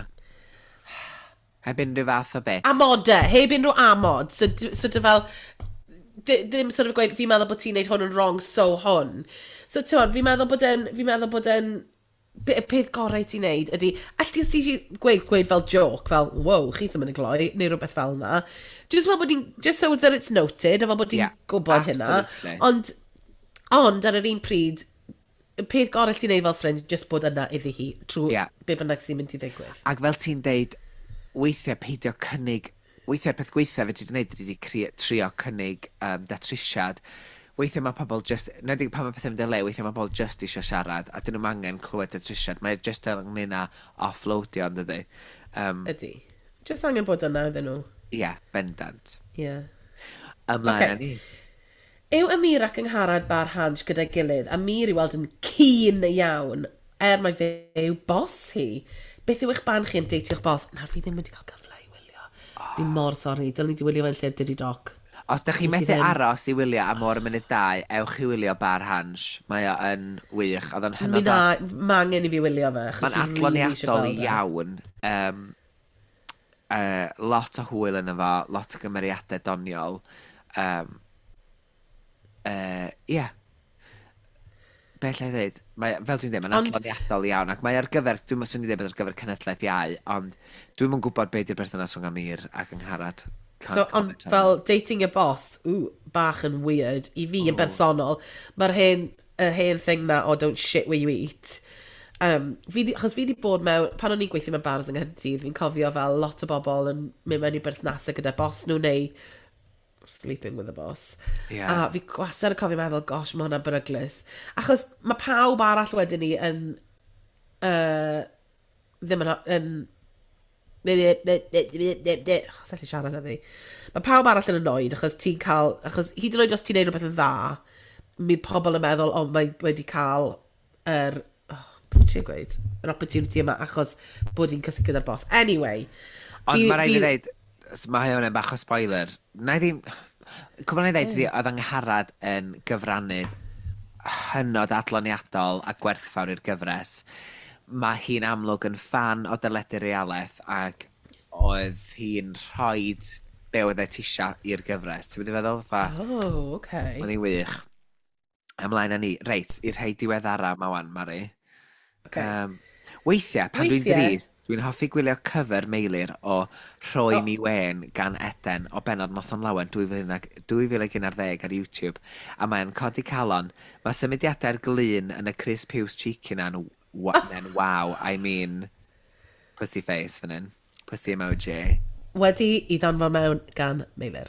Heb unrhyw fath o beth. Amodau, heb unrhyw amod. So, d- sort of fel, di- ddim sort of gweud, fi'n meddwl bod ti'n neud hwn yn wrong, so hwn. So, ti'n fi'n meddwl bod e'n, fi'n meddwl bod e'n, be- y peth gorau ti'n neud ydy, alli ti ti gweud, gweud fel joke, fel, wow, chi ddim yn y gloi, neu rhywbeth fel na. Just fel bod hi'n, just so that it's noted, a fel bod hi'n Yeah, gwybod hynna. absolutely. Ond, ond ar yr un pryd, y peth gorau ti'n neud fel ffrind, just bod yna iddi hi, trwy Yeah. be bynnag sy'n mynd i ddigwydd. Ac fel ti'n deud, weithiau peidio cynnig, weithiau'r peth gweitha fedri di wneud ydy cri- trio cynnig um, datrysiad. Weithiau mae pobl just, nid pan mae pethau'n mynd i le, weithiau mae pobl just eisiau siarad, a dyn nhw'n angen clywed datrysiad. Mae just ynglyn â offloadio, yn dydy. Um, Ydy. Just angen bod yna iddyn nhw. Ie, yeah, bendant. Yeah. Ymlaen Ocê. â ni. Yw Amir ac Angharad Bar Hansh gyda'i gilydd, Amir i weld yn keen iawn, er mai fe yw bos hi. Beth yw eich barn chi am deitio'ch bos? Nawr fi ddim wedi cael cyfle i wylio. Fi mor sori, dylwn ni wedi wylio fe'n lle Diddy Doc. Os ydych chi Nes i methu ddim. aros i wylio am o'r mynydd dau, ewch i wylio Bar Hansh. Mae o yn wych. Oedd o'n Mi hynod na, o... ma angen i fi wylio fe, achos Mae'n fi really eisiau adloniadol gweld e. iawn. Um, uh, lot o hwyl yn efo, lot o gymeriadau doniol. Um, uh, yeah. Be allai ddweud? Mae, fel dwi'n dweud, mae'n Ond- adloniadol iawn, ac mae ar gyfer, dwi'n swn i dweud bod ar gyfer cenhedlaeth iau, ond dwi'm yn gwybod be di'r berthynas rhwng Amir ac Angharad. Can't So, ond comment on fel dating your boss, ooh, bach yn weird. I fi yn bersonol, mae'r hen, yr hen thing na, oh, don't shit where you eat. Um, fi di, achos fi di bod mewn, pan o'n i'n gweithio mewn bars yng Nghaerdydd, fi'n cofio fel lot o bobl yn mynd mewn i berthnasau gyda boss nhw neu sleeping with a boss. Ie. A fi gwastad yn cofio meddwl, gosh, mae hwnna'n beryglus. Achos mae pawb arall wedyn ni yn, uh, ddim yn, yn Os allu siarad â fi. Mae pawb arall yn annoyed achos ti'n cael... Achos hyd yn oed os ti'n neud rhywbeth yn dda, mi pobl yn meddwl, o, mae wedi cael yr... Oh, beth ti'n gweud? Yr opportunity yma achos bod hi'n cysgu gyda'r boss. Anyway. Ond fi- mae rhaid i fi- ddeud, s- mae hwn yn bach o spoiler. Na i ddim... Cwbl na i ddeud, ydi, oedd Angharad yn gyfrannydd hynod adloniadol a gwerthfawr i'r gyfres. Mae hi'n amlwg yn ffan o deledu realaeth ac oedd hi'n rhoi be oedd e tisio i'r gyfres. Ti'n mynd i feddwl? Fatha, Oh, okay. Oedd hi'n wych. Ymlaen â ni. Reit, i'r rhai diweddara ma wan, Mari. Okay. Um, weithiau, pan dwi'n Weithiau- drist, dwi'n hoffi gwylio cover Meilir o Rhoi O. Mi Wen gan Eden o bennod Noson Lawen dwy fil ac un ar ddeg ar YouTube. A mae'n codi calon. Mae symudiadau'r glun yn y Chris Piws cheeky na'n wa oh. Wow, I mean, pussy face fan hyn. Pussy emoji. Wedi i ddanfon mewn gan Meilir.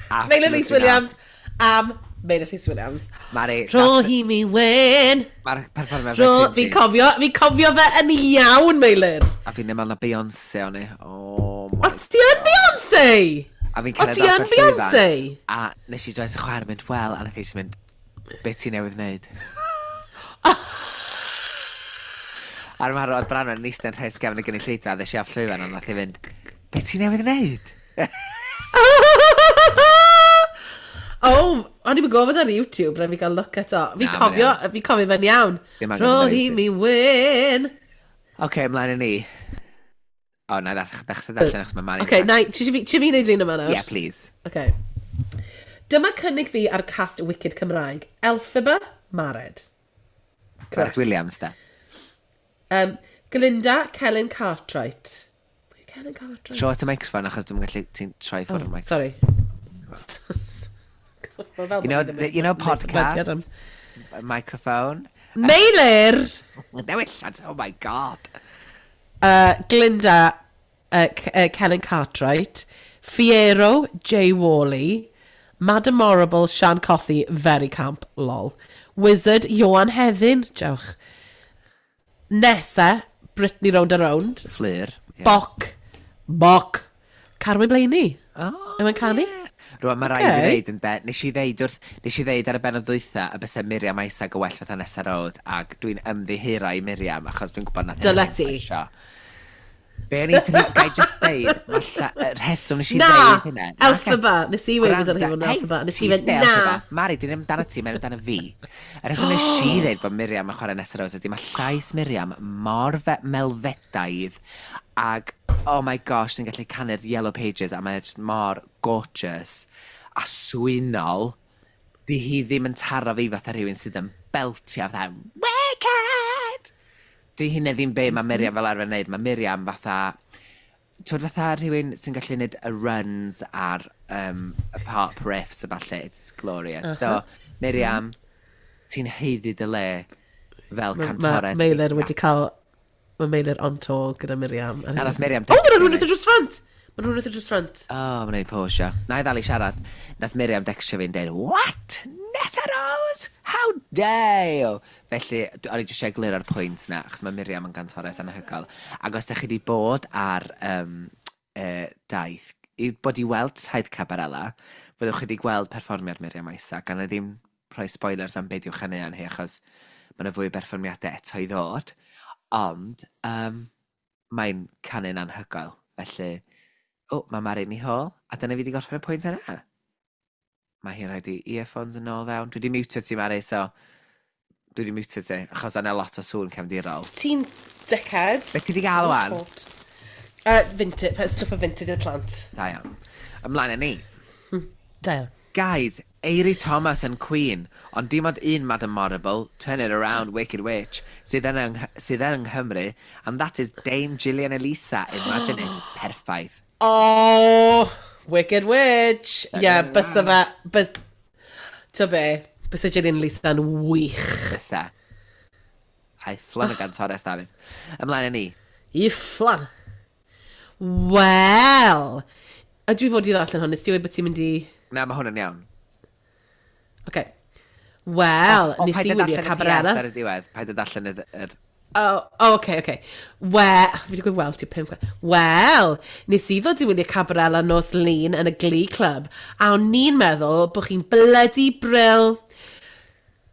Absolutely Meilir Rhys not. Williams am Meilir Rhys Williams. Mari, Rho hi mi wen. Mae'r perfformiad Rho, reit fi cringy. cofio, fi cofio fe yn iawn, Meilir. A fi'n meddwl na Beyoncé o'n i. Oh my O, ti yn Beyoncé? A fi'n O, cyrraedd ti off yn y llwyfan. Beyoncé? A nes i droi at y chwaer yn mynd, "Wel," a nath hi jyst mynd, "Be ti newydd wneud?" A'r marw oedd Branwen yn eistedd yn rhes gefn y gynulleidfa, a ddes i off llwyfan, a nath hi fynd, "Be ti newydd wneud?" Oh, o'n i'n gwybod ar YouTube, rhaid fi gael look eto. Fi Na, cofio, mae'n fi cofio fe'n iawn. Dim angen Rho bod ar hi YouTube. mi wen. Oce, okay, ymlaen i ni. O, na i ddechrau ddechrau darllen achos mae Mari. Oce, na, ti eisiau fi ti fi wneud un yma nawr? Yeah, please. Okay. Dyma cynnig fi ar cast Wicked Cymraeg. Elphaba, Mared. Mared Williams, da. Um, Glinda, Kellen Cartwright. Pwy yw Kellen Cartwright? Tro at y microffon achos dwi'n gallu, ti'n troi ffwrdd o'r microffon. Sorry. You know, the, you know podcast? Microphone? Meilir! Newillad, oh my God. Uh, Glinda, uh, C- uh, Kellen Cartwright. Fiero, Jay Worley. Madam Morrible, Sian Cothi, very camp, lol. Wizard, Johan Hefin, jawch. Nessa, Brittany Round and Round. Fleur. Yeah. Boc, Boc, Carwyn Blainey. Oh, Yw e'n canu? Yeah. Rwan, mae rhaid i Ocê. ddeud yn de, nes i ddeud wrth, nes i ddeud ar y benod dwytha y bysa Miriam Isaac y well fatha Nessa Road, ac dwi'n ymddiheuro i Miriam, achos dwi'n gwybod na Dyle ti. Be o'n i dri, gai just deud, mae lla- y rheswm nes i Na! ddeud hynna. Na, Elphaba. Nes i weud bod o'n Gwranda. hi fod yn Hei, Elphaba. Nes i ti fynd, stay na. Elphaba. Mari, dwi ddim amdano ti, mae'n amdano fi. Y rheswm nes i ddeud bod Miriam yn chwarae Nessa Rose ydy mae llais Miriam mor fe melfedaidd ag, oh my gosh, ti'n gallu canu'r Yellow Pages a mae'n just mor gorgeous a swynol. Di hi ddim yn taro fi fatha rhywun sydd yn beltio fatha, "Wicked!" Di hynna ddim be mae Miriam fel arfer yn neud. Mae Miriam fatha, twyd, fatha rhywun sy'n gallu neud y runs ar um, y pop riffs a falle, it's glorious. Uh -huh. So, Miriam, ti'n haeddu dy le fel Mae cantores. Meilir wedi cael. Mae Meilir on tour gyda Miriam. Na, nath Miriam O, mae dechrau rhywun fi. wrth y drws ffrant! Mae rhywun wrth y drws ffrant. O, oh, mae'n neud posio. Na i ddal i siarad. Nath Miriam decstio fi'n deud, "What? Nessa Rose? How dare you?" Felly, dwi- o'n i jyst eisiau gliro'r pwynt na, achos mae Miriam yn gantores anhygoel. Ac os ydych chi wedi bod ar um, uh, daith, i bod i weld taith Cabarella, fyddwch chi wedi gweld perfformiad Miriam Isaac, a na i ddim rhoi spoilers am beth i'w chaneuon hi, achos mae yna fwy o berfformiadau eto i ddod. Ond, um, mae'n canu'n anhygoel. Felly, o, mae Mari'n i hôl, a dyna fi wedi gorffen y pwynt yna. Mae hi'n rhaid i earphones yn ôl fewn. Dwi wedi mutio ti, Mari, so dwi wedi mutio ti, achos yna lot o sŵn cefndirol. Ti'n dickhead. Beth ti wedi gael wan? Uh, vintage, stuff o vintage i'r plant. Da iawn. Ymlaen â ni. Da iawn. Guys, Eiri Thomas yn Queen, ond dim ond un Madam Morrible, turn it around, Wicked Witch, sydd yn, yng, sydd yn yng Nghymru, and that is Dame Gillian Elisa. Imagine it, perffaith. Oh, Wicked Witch. Ie, yeah, bysa fe. Bys... Ti'n be? Bysa Gillian Lisa yn wych. Bysa. Ai, fflan y gantores, Dafydd. Ymlaen â ni. I fflan. Wel. A dwi fod i ddarllen hwn, nes ti weud bod ti'n mynd i. Na, mae hwn yn iawn. Okay. Wel, O, nes paid i â wylio darllen y P S Cabarella. ar y diwedd. Paid â darllen y... yr- Oh, oh, okay, okay. Wel, fi wedi gweud "wel" ti pum gwaith. Wel, nes i ddod i wylio Cabarella nos Lun yn y Glee Club, a o'n i'n meddwl bod chi'n bloody brill.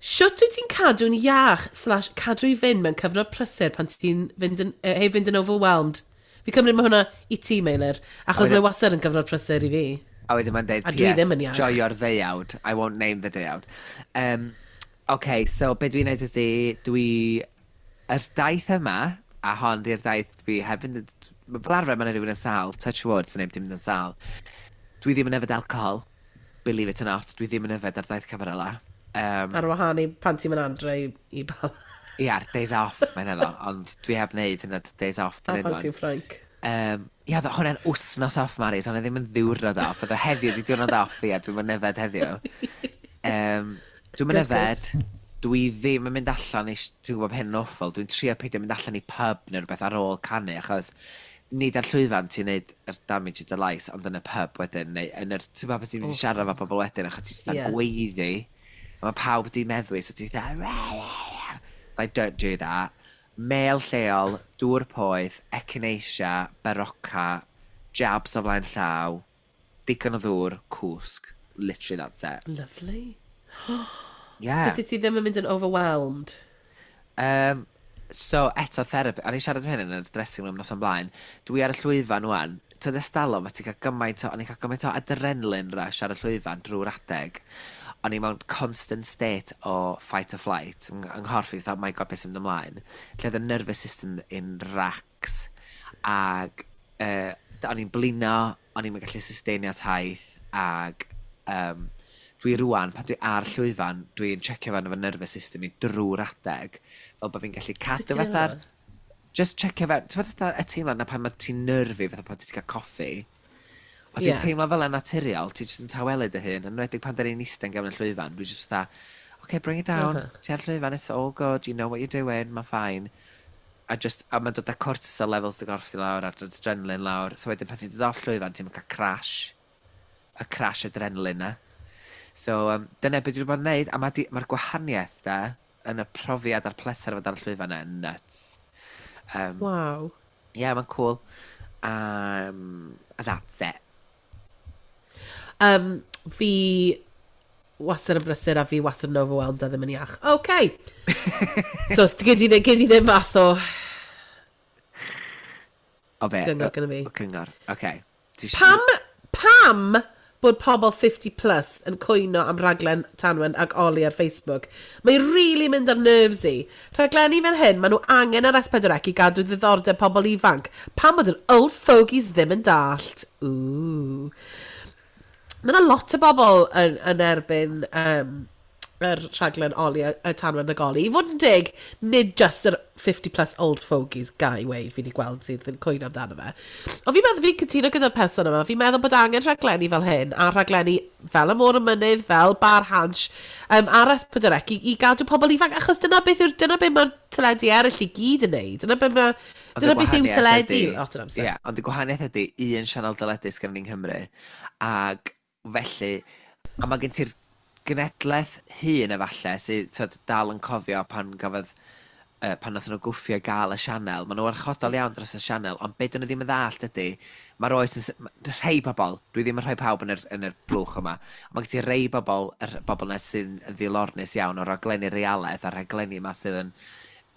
Shwt wyt ti'n cadw'n iach slash cadw i fynd mewn cyfnod prysur pan ti'n fynd yn, eh, hei, fynd yn overwhelmed? Fi cymryd mae hwnna i ti, Meilir, achos wedyn- mae wastad yn gyfnod prysur i fi. A wedyn mae'n deud, A dwi P S ddim yn iach. "Joio'r ddeuawd. I won't name the deuawd." Um, OK, so be dwi'n neud ydy, dwi... Yr daith yma, a hon di'r daith dwi heb fynd... yn- Fel arfer mae'n rhywun yn sâl, touch wood, sy'n neb ddim yn sâl. Dwi ddim yn yfed alcohol, believe it or not, dwi ddim yn yfed ar daith Cabarella. Um, Ar wahân i pan ti'n mynd adre i, i bal. Ia, days off, mae'n efo, ond dwi heb wneud hynna days off. A pan ti'n Ffrainc. Um, ia, hwnna'n wsnos off, Mari, hwnna ddim yn ddiwrnod off. Oedd o heddiw, di diwrnod off, ia, dwi'n mynd yfed heddiw. Um, dwi'n mynd yfed, dwi ddim yn mynd allan i, dwi'n gwybod hyn yn awful, dwi'n trio peidio mynd allan i pub neu rhywbeth ar ôl canu, achos nid ar llwyfan ti'n neud yr damage i dy lais, ond yn y pub wedyn, neu yn yr, ti'n gwybod beth ti'n mynd i siarad efo pobl wedyn, achos ti'n yeah. gweiddi, a mae pawb di meddwi, so ti'n dda, so I don't do that. Mêl lleol, dŵr poeth, echinacea, Berocca, jabs o flaen llaw, digon o ddŵr, cwsg. Literally that's it. Lovely. Yeah. Sut wyt ti ddim yn mynd yn overwhelmed? Um, so, eto, therapy, a ni siarad am hyn yn y dressing room nos o'n blaen, dwi ar y llwyfan wan, tyd estalwm, a ti'n cael gymaint o, o'n i'n cael gymaint o adrenaline rush ar y llwyfan drwy'r adeg. O'n i mewn constant state o fight or flight, yng yng nghorff i, fatha, oh my God, beth sy'n mynd ymlaen. Lle oedd y nervous system in racks. Ag uh, o'n i'n blino, o'n i'n gallu sustainio taith, ag um, dwi rwan, pan dwi ar llwyfan, dwi'n checio fewn efo nervous system i drwy'r adeg, fel bod fi'n gallu cadw ti'n fatha'r... neud? Just checio fewn, ti'n fatha y teimlad na pan mae ti'n nerfy, fatha pan ti wedi cael coffi. Os ti'n Ie. teimlo fel yn naturiol, ti jyst yn tawelu dy hun, yn enwedig pan da ni'n eistedd yn gefn y llwyfan, dwi just fatha, okay, bring it down, uh Uh-huh. -huh. ti ar llwyfan, it's all good, you know what you're doing, mae'n fine. A just, a mae'n dod â cortisol levels dy gorff ti lawr, a'r adrenaline lawr. So wedyn pan ti'n dod off llwyfan, ti'n cael crash. Y crash adrenaline na. So, um, dyna beth dwi wedi bod yn neud, a mae'r ma gwahaniaeth da, yn y profiad a'r pleser o fod ar y llwyfan yna, nuts. Um, Wow. yeah, mae'n cool. Um, and that's it. Um, fi wastad yn brysur a fi wastad yn overwhelmed a ddim yn iach. OK. So, gyd i ddim, gyd i ddim fath o O be? Gyngor gynna fi. O cyngor, oce. Ti isio- Pam, pam bod pobl fifty plus yn cwyno am raglen Tanwen ac Oli ar Facebook? Mae'n really mynd ar nerves i. Rhaglenni fel hyn, maen nhw angen ar S pedwar C i gadw ddiddordeb pobl ifanc. Pam bod yr old fogies ddim yn dallt? Ooh. Mae yna lot o bobl yn, yn erbyn um, yr rhaglen Oli, y Tanwen ac Oli. I fod yn dig, nid just yr fifty plus old fogies gai weud fi wedi gweld sydd yn cwyno amdano fe. Ond fi'n meddwl, fi'n cytuno gyda'r person yma, fi'n meddwl bod angen rhaglenni fel hyn, a rhaglenni fel y Môr y Mynydd, fel Bar Hansh, um, ar S pedwar C i, i gadw pobl ifanc, achos dyna beth yw'r, dyna beth mae'r teledu eraill i gyd yn neud. Dyna beth mae, Ond y dyna beth yw gwahaniaeth teledu ydi- lot o'r amser. Ie, ond y gwahaniaeth ydy un sianel deledu sgan ni'n Nghymru, ac felly, a mae gen ti'r genedlaeth hŷn efallai sydd t'od, dal yn cofio pan gafodd uh, pan nath nhw gwffio gael y sianel. Maen nhw warchodol iawn dros y sianel, ond be dyn nhw ddim yn ddallt ydy, mae'r oes yn... s- ma- Rhei bobl, dwi ddim yn rhoi pawb yn yr, yn yr blwch yma, ond mae gen ti rei bobl, yr bobl yna sy'n ddilornus iawn o raglenni realaeth a'r rhaglenni yma sydd yn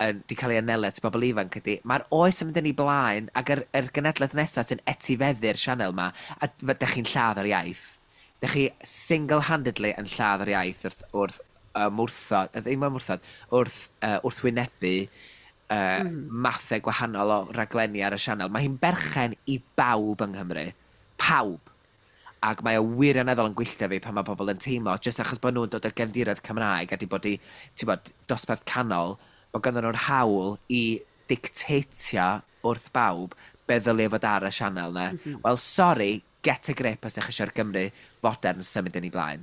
yn, di cael ei anelu at bobl ifanc ydy, mae'r oes yn mynd yn ei blaen ac yr, yr genedlaeth nesaf sy'n etifeddu'r sianel yma, a dych chi'n lladd yr iaith. Dych chi single-handedly yn lladd yr iaith wrth, wrth ymwrthod, yy, ddim ymwrthod, wrth uh, wrthwynebu uh, mm. mathau gwahanol o raglenni ar y sianel. Mae hi'n berchen i bawb yng Nghymru. Pawb. Ac mae o wirioneddol yn gwylltio fi pan mae pobl yn teimlo, jyst achos bod nhw'n dod o gefndiroedd Cymraeg a di bod i, ti'n bod, dosbarth canol, bod ganddyn nhw'r hawl i dictatio wrth bawb be ddylia fod ar y sianel na. Mm -hmm. Wel, sorry, get a grip os ydych chi eisiau'r Gymru fodern symud yn ei blaen.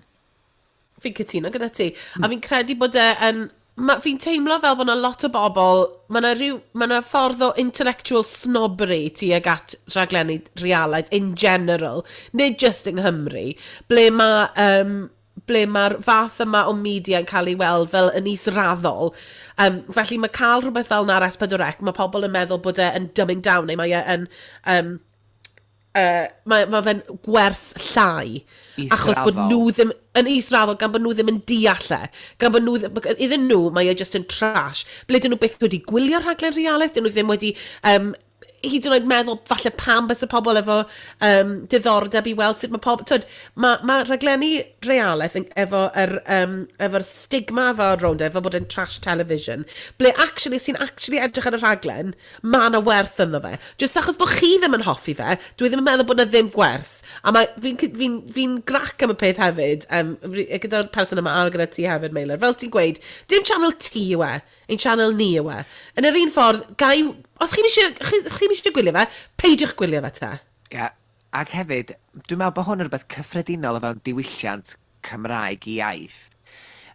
Fi'n cytuno gyda ti. A fi'n credu bod e yn... Ma, fi'n teimlo fel bod yna lot o bobl, mae yna rhyw, ma yna ffordd o intellectual snobbery tuag at rhaglenni realaidd in general, nid just yng Nghymru, ble mae um, ble mae'r fath yma o media yn cael ei weld fel yn israddol. Um, felly mae cael rhywbeth fel 'na ar S pedwar C, mae pobl yn meddwl bod e yn dumbing down, neu mae e yn... Um, uh, mae, mae fe'n gwerth llai. Achos bod Israddol. nhw ddim yn israddol, gan bod nhw ddim yn deall e. Gan bod nhw, ddim- iddyn nhw, mae e just yn trash. Ble dyn nhw byth wedi gwylio rhaglen realaeth, dyn nhw ddim wedi um, hyd yn oed meddwl falle pam bys y pobl efo um, diddordeb i weld sut mae pobl. Twyd, mae ma rhaglenni realaeth yn- efo yr, um, efo'r stigma efo rownd e, efo bod yn trash television, ble actually, os ti'n actually edrych ar y rhaglen, mae yna werth ynddo fe. Just achos bod chi ddim yn hoffi fe, dwi ddim yn meddwl bod yna ddim gwerth. A mae, fi'n fi fi grac am y peth hefyd, um, gyda'r person yma a gyda ti hefyd, Meilir. Fel ti'n gweud, dim channel T yw e. Ein channel ni yw e. Yn yr un ffordd, gai, os chi'n eisiau, chi, chi eisiau gwylio fe, peidiwch gwylio fe te. Ie, yeah. Ac hefyd, dwi'n meddwl bod hwn yn rhywbeth cyffredinol o fewn diwylliant Cymraeg i iaith,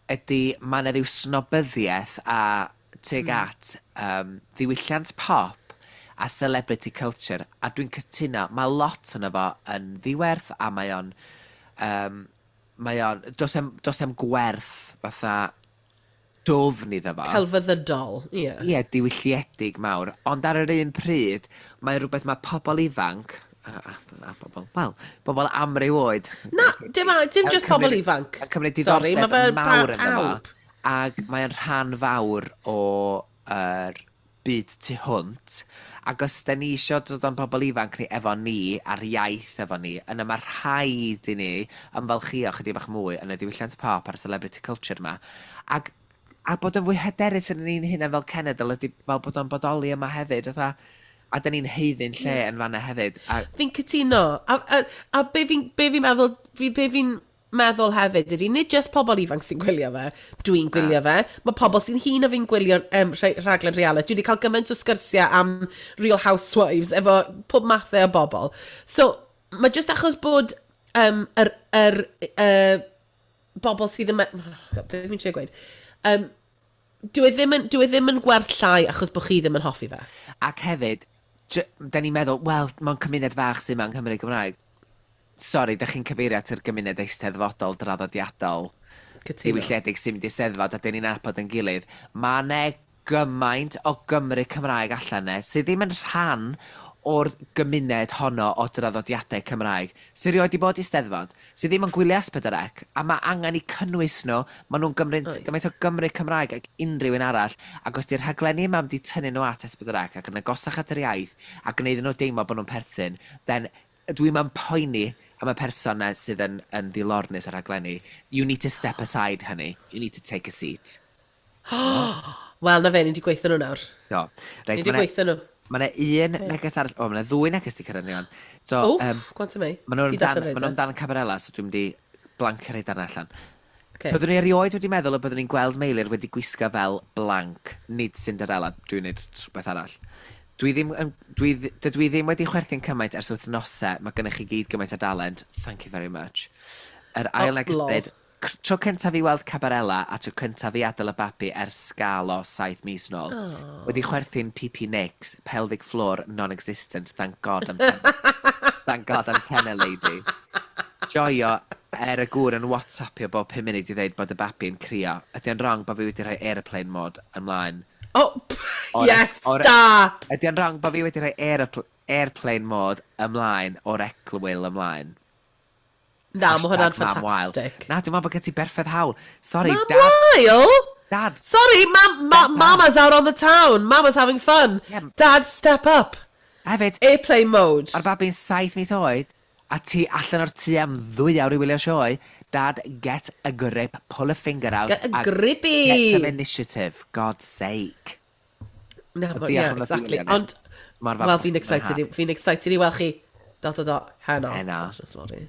ydy mae yna rhyw snobyddiaeth a tuag mm. at um, ddiwylliant pop a celebrity culture, a dwi'n cytuno, mae lot ono fo yn ddiwerth a mae o'n, um, mae o'n, does 'em, does 'em gwerth fatha dwfn iddo fo. Celfyddydol, ie. Yeah. Ie, diwylliedig mawr. Ond ar yr un pryd, mae rhywbeth mae pobl ifanc, a, a, a bobl, wel, bobl amryw oed. Na, dim, dim just pobl ifanc. Yn cymryd Sorry, diddordeb mae fe mawr ynddo fo. pawb. Ac mae'n rhan fawr o yr byd tu hwnt. Ac os da ni isio dod o'n pobl ifanc ni efo ni, a'r iaith efo ni, yna mae rhaid i ni ymfalchio chydig bach mwy yn y diwylliant pop a'r celebrity culture yma. Ac, a bod yn fwy hyderus yn ni'n hunain fel cenedl ydy fel bod o'n bodoli yma hefyd. Fatha, a da ni'n haeddu'n lle yn fanna hefyd. A, Fi'n cytuno. A, a, a be fi'n be fi meddwl, fi, be fi'n meddwl hefyd ydy, nid just pobl ifanc sy'n gwylio fe, dwi'n gwylio fe, mae pobl sy'n hŷn na fi'n gwylio um, rhaglen reality. Dwi wedi cael gymaint o sgyrsiau am Real Housewives efo pob mathau o bobl. So, mae just achos bod um, yr, yr, uh, bobl sydd yn... Oh, be fi'n trio gweud? Um, dwi e ddim yn, dwi e ddim yn gwerth llai achos bod chi ddim yn hoffi fe. Ac hefyd, da ni'n meddwl, wel, mewn cymuned fach sy'n yma yng Nghymru Gymraeg. Sori, da chi'n cyfeirio at yr gymuned eisteddfodol draddodiadol Cytuno. diwylliedig sy'n mynd i steddfod a dyn ni'n nabod yn gilydd. Mae 'ne gymaint o Gymru Cymraeg allan 'ne sydd ddim yn rhan o'r gymuned honno o draddodiadau Cymraeg, sydd rioed 'di bod i steddfod, sydd ddim yn gwylio S pedwar C, a mae angen i cynnwys nhw. Maen nhw'n gymryd Oes. gymaint o Gymru Cymraeg ac unrhyw un arall, ac os di'r rhaglenni yma wedi tynnu nhw at S pedwar C ac yn agosach at yr iaith, a gwneud nhw deimlo bod nhw'n perthyn, then dwi'n ma'n poeni am y person 'na sydd yn, yn ddilornus ar rhaglenni. You need to step aside, honey. You need to take a seat. Wel, na fe, ni wedi gweithio nhw nawr. Do. Ni Reit, wedi ma' 'na- gweithio nhw. Ma' 'na un neges arall, o, ma' 'na ddwy neges di cyrraedd ni o'n. So, O, um, gwanta mi. ma' nhw'n Ti dan, darllen ma' reit, nhw'n dan Cabarella, so dwi'n mynd i blancio rhai darnau allan. Okay. Byddwn ni erioed wedi meddwl y byddwn ni'n gweld Meilir wedi gwisgo fel blank, nid Cinderella, dwi'n neud rhywbeth arall. Dwi ddim, yn, dwi, dd- dydw i ddim wedi chwerthin cymaint ers wythnosau, mae gennych chi gyd gymaint o dalent. Thank you very much. Yr ail Oh, neges lol. dweud, "C- tro cyntaf i weld Cabarella a tro cyntaf i adael y babi ers sgalo saith mis nôl. Oh. Wedi chwerthin P P Nicks, pelvic floor non-existent, thank God I'm ten. Thank God I'm tenner lady. Joio er y gŵr yn WhatsAppio bob pum munud i ddweud bod y babi'n crio. Ydy o'n wrong bod fi wedi rhoi airplane mode ymlaen? Oh, O'r- yes, o'r- da! Ydy o'n wrong bod fi wedi rhoi airpl airplane mode ymlaen o'r egwyl ymlaen? Na, mae hwnna'n Hashtag mam wael. ffantastig. Na, dwi'n meddwl bod gen ti berffaith hawl. Sorry, Mam Dad. wael? Dad. Sorry, ma ma mama's out on the town. Mama's having fun. Yeah. Dad, step up. Hefyd, Airplane mode. mae'r babi'n saith mis oed, a ti allan o'r tŷ am ddwy awr i wylio sioe. Dad, get a grip, pull a finger out. Get a a grippy. Get some initiative, God's sake. Na, Ond but, diolch yeah, am ddod i exactly. wylio ni. Ond, Mor falch wel, bod fi'n chi'n excited, i- mwynhau. fi'n excited i weld chi. Dot, dot, dot, heno. Heno. Sasha, sorry.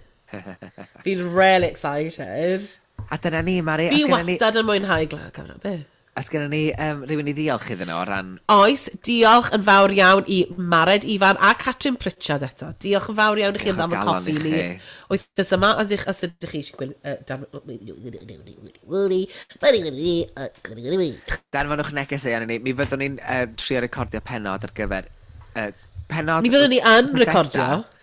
Fi'n really excited. A dyna ni, Mari. Fi Os gynna ni, wastad yn mwynhau gla- cyfnod, be? Os gynna ni um, rhywun i ddiolch iddyn nhw o ran? Oes, diolch yn fawr iawn i Mared Ifan a Catrin Pritchard eto. Diolch yn fawr iawn i chi am Diolch o ddam y galon coffi i ni. chi. Wythnos yma, os ydych, os ydych chi eisiau gwylio... Uh, dan... Danfonwch negeseuon i ni. Mi fyddwn ni'n uh, trio recordio penod ar gyfer... Uh, penod Mi fyddwn ni yn wythnos recordio. nesa.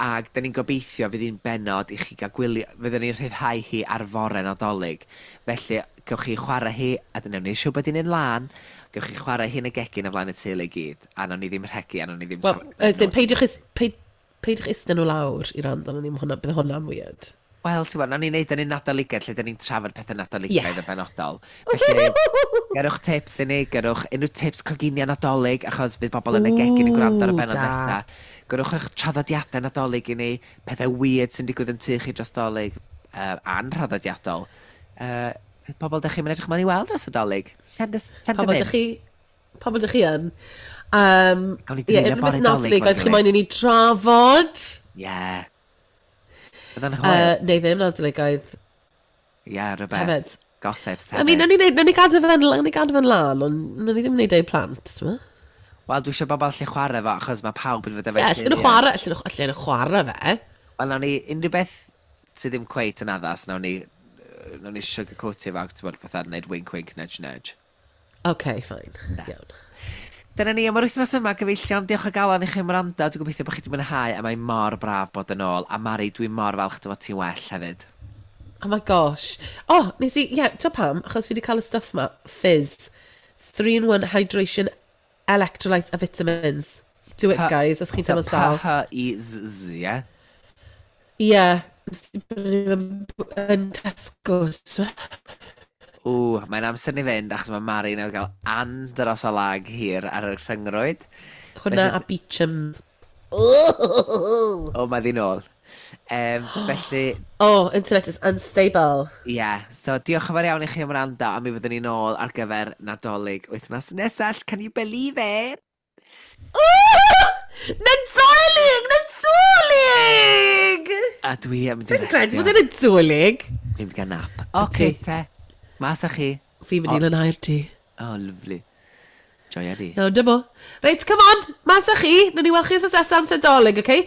Ac da ni'n gobeithio fydd hi'n benod i chi gael gwylio, fyddwn ni'n rhyddhau hi ar fore Nadolig. Felly, gewch chi chwarae hi, a dyna ni'n siŵr bod hi'n un lân, gewch chi chwarae hi yn y gegin o flaen y teulu i gyd, a nawn ni ddim rhegi, a nawn ni ddim Wel, siarad. as in, peidiwch, is, peid, peidiwch ista nhw lawr i rand arno ni, ma' hwnna, bydd hwnna'n weird. Wel, ti'n gwybod, nawn ni wneud yn un Nadoligaidd lle da ni'n trafod pethau Nadoligaidd Ie. yn benodol. Felly, gyrwch tips i ni, gyrwch unrhyw tips coginio Nadolig, achos fydd bobl yn y gegin yn gwrando ar y Ww, benod da. nesaf. Gyrwch eich traddodiadau Nadolig i ni, pethau weird sy'n digwydd yn tŷ chi dros Dolig, uh, anhraddodiadol. Uh, pobl da chi'n mynd edrych mlaen i weld dros y Dolig. Send, us, send Pobl them dych in. chi... Pobl dych chi yn. Um, Gawn ni ie, dreulio unrhyw bore beth Dolig Nadolig efo'n oedd chi gilydd. moyn i ni drafod. Ie. Bydda'n hwyl. Uh, neu ddim Nadoligaidd Ie, rhywbeth. hefyd. Gossips I mean, hefyd. nawn ni, neud- nawn ni gadw fe'n nawn ni gadw fe'n lan, ond nawn ni ddim wneud ei plant, ti'n meddwl? Wel, dwi eisiau bobl allu chwarae fo, achos mae pawb yn fod Ie, efo'i allan nhw chwarae, allan nhw allan nhw chwarae fe. Wel, nawn ni unrhyw beth sydd ddim cweit yn addas, nawn ni, yy, nawn ni sugarcoatio fo, ti'n bod, fatha wneud wink wink, nudge nudge. OK, fine. Iawn. Dyna ni am yr wythnos yma, gyfeillion. Diolch o galon i chi am wrando. Dwi'n gobeithio bod chi wedi mwynhau, a mae mor braf bod yn ôl. A Mari, dwi mor falch dy fod ti'n well hefyd. Oh my gosh. Oh, nes i, ie, yeah, ti'n pam? Achos fi wedi cael y stuff ma, Fizz. three in one hydration, electrolytes a vitamins. Do it, guys, os chi'n So, teimlo sal. P H I Z Z, ie? Ie. Yeah. Yn Tesco. So. Ww, mae'n amser ni fynd, achos mae Mari newydd gael andros o lag hir ar y rhyngrwyd. Hwna a Beechams. O, mae ddi nôl. Um, felly, Oh, internet is unstable. Ie, yeah. So diolch yn fawr iawn i chi am wrando, a mi fyddwn ni nôl ar gyfer Nadolig wythnos nesaf. Can you believe it? Nadolig! Nadolig! A dwi yn mynd i Dwi'n credu restio. bod e'n Nadolig. Dwi'n mynd i gael nap. Oce, te. Mas â chi. Fi'n mynd i lanhau'r tŷ. Oh, lovely. Joia di. Iawn, dyma. Reit, come on, mas â chi. Nawn ni weld chi wythnos nesaf amser Dolig, oce? Okay?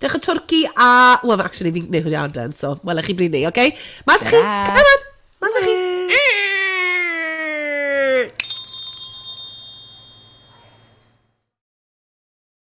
Dewch y twrci a... Well, actually, fi'n gwneud hwnna so welech chi bryd ni, oce? Okay? Mas â chi, Ta-ra. come on! Mas â chi.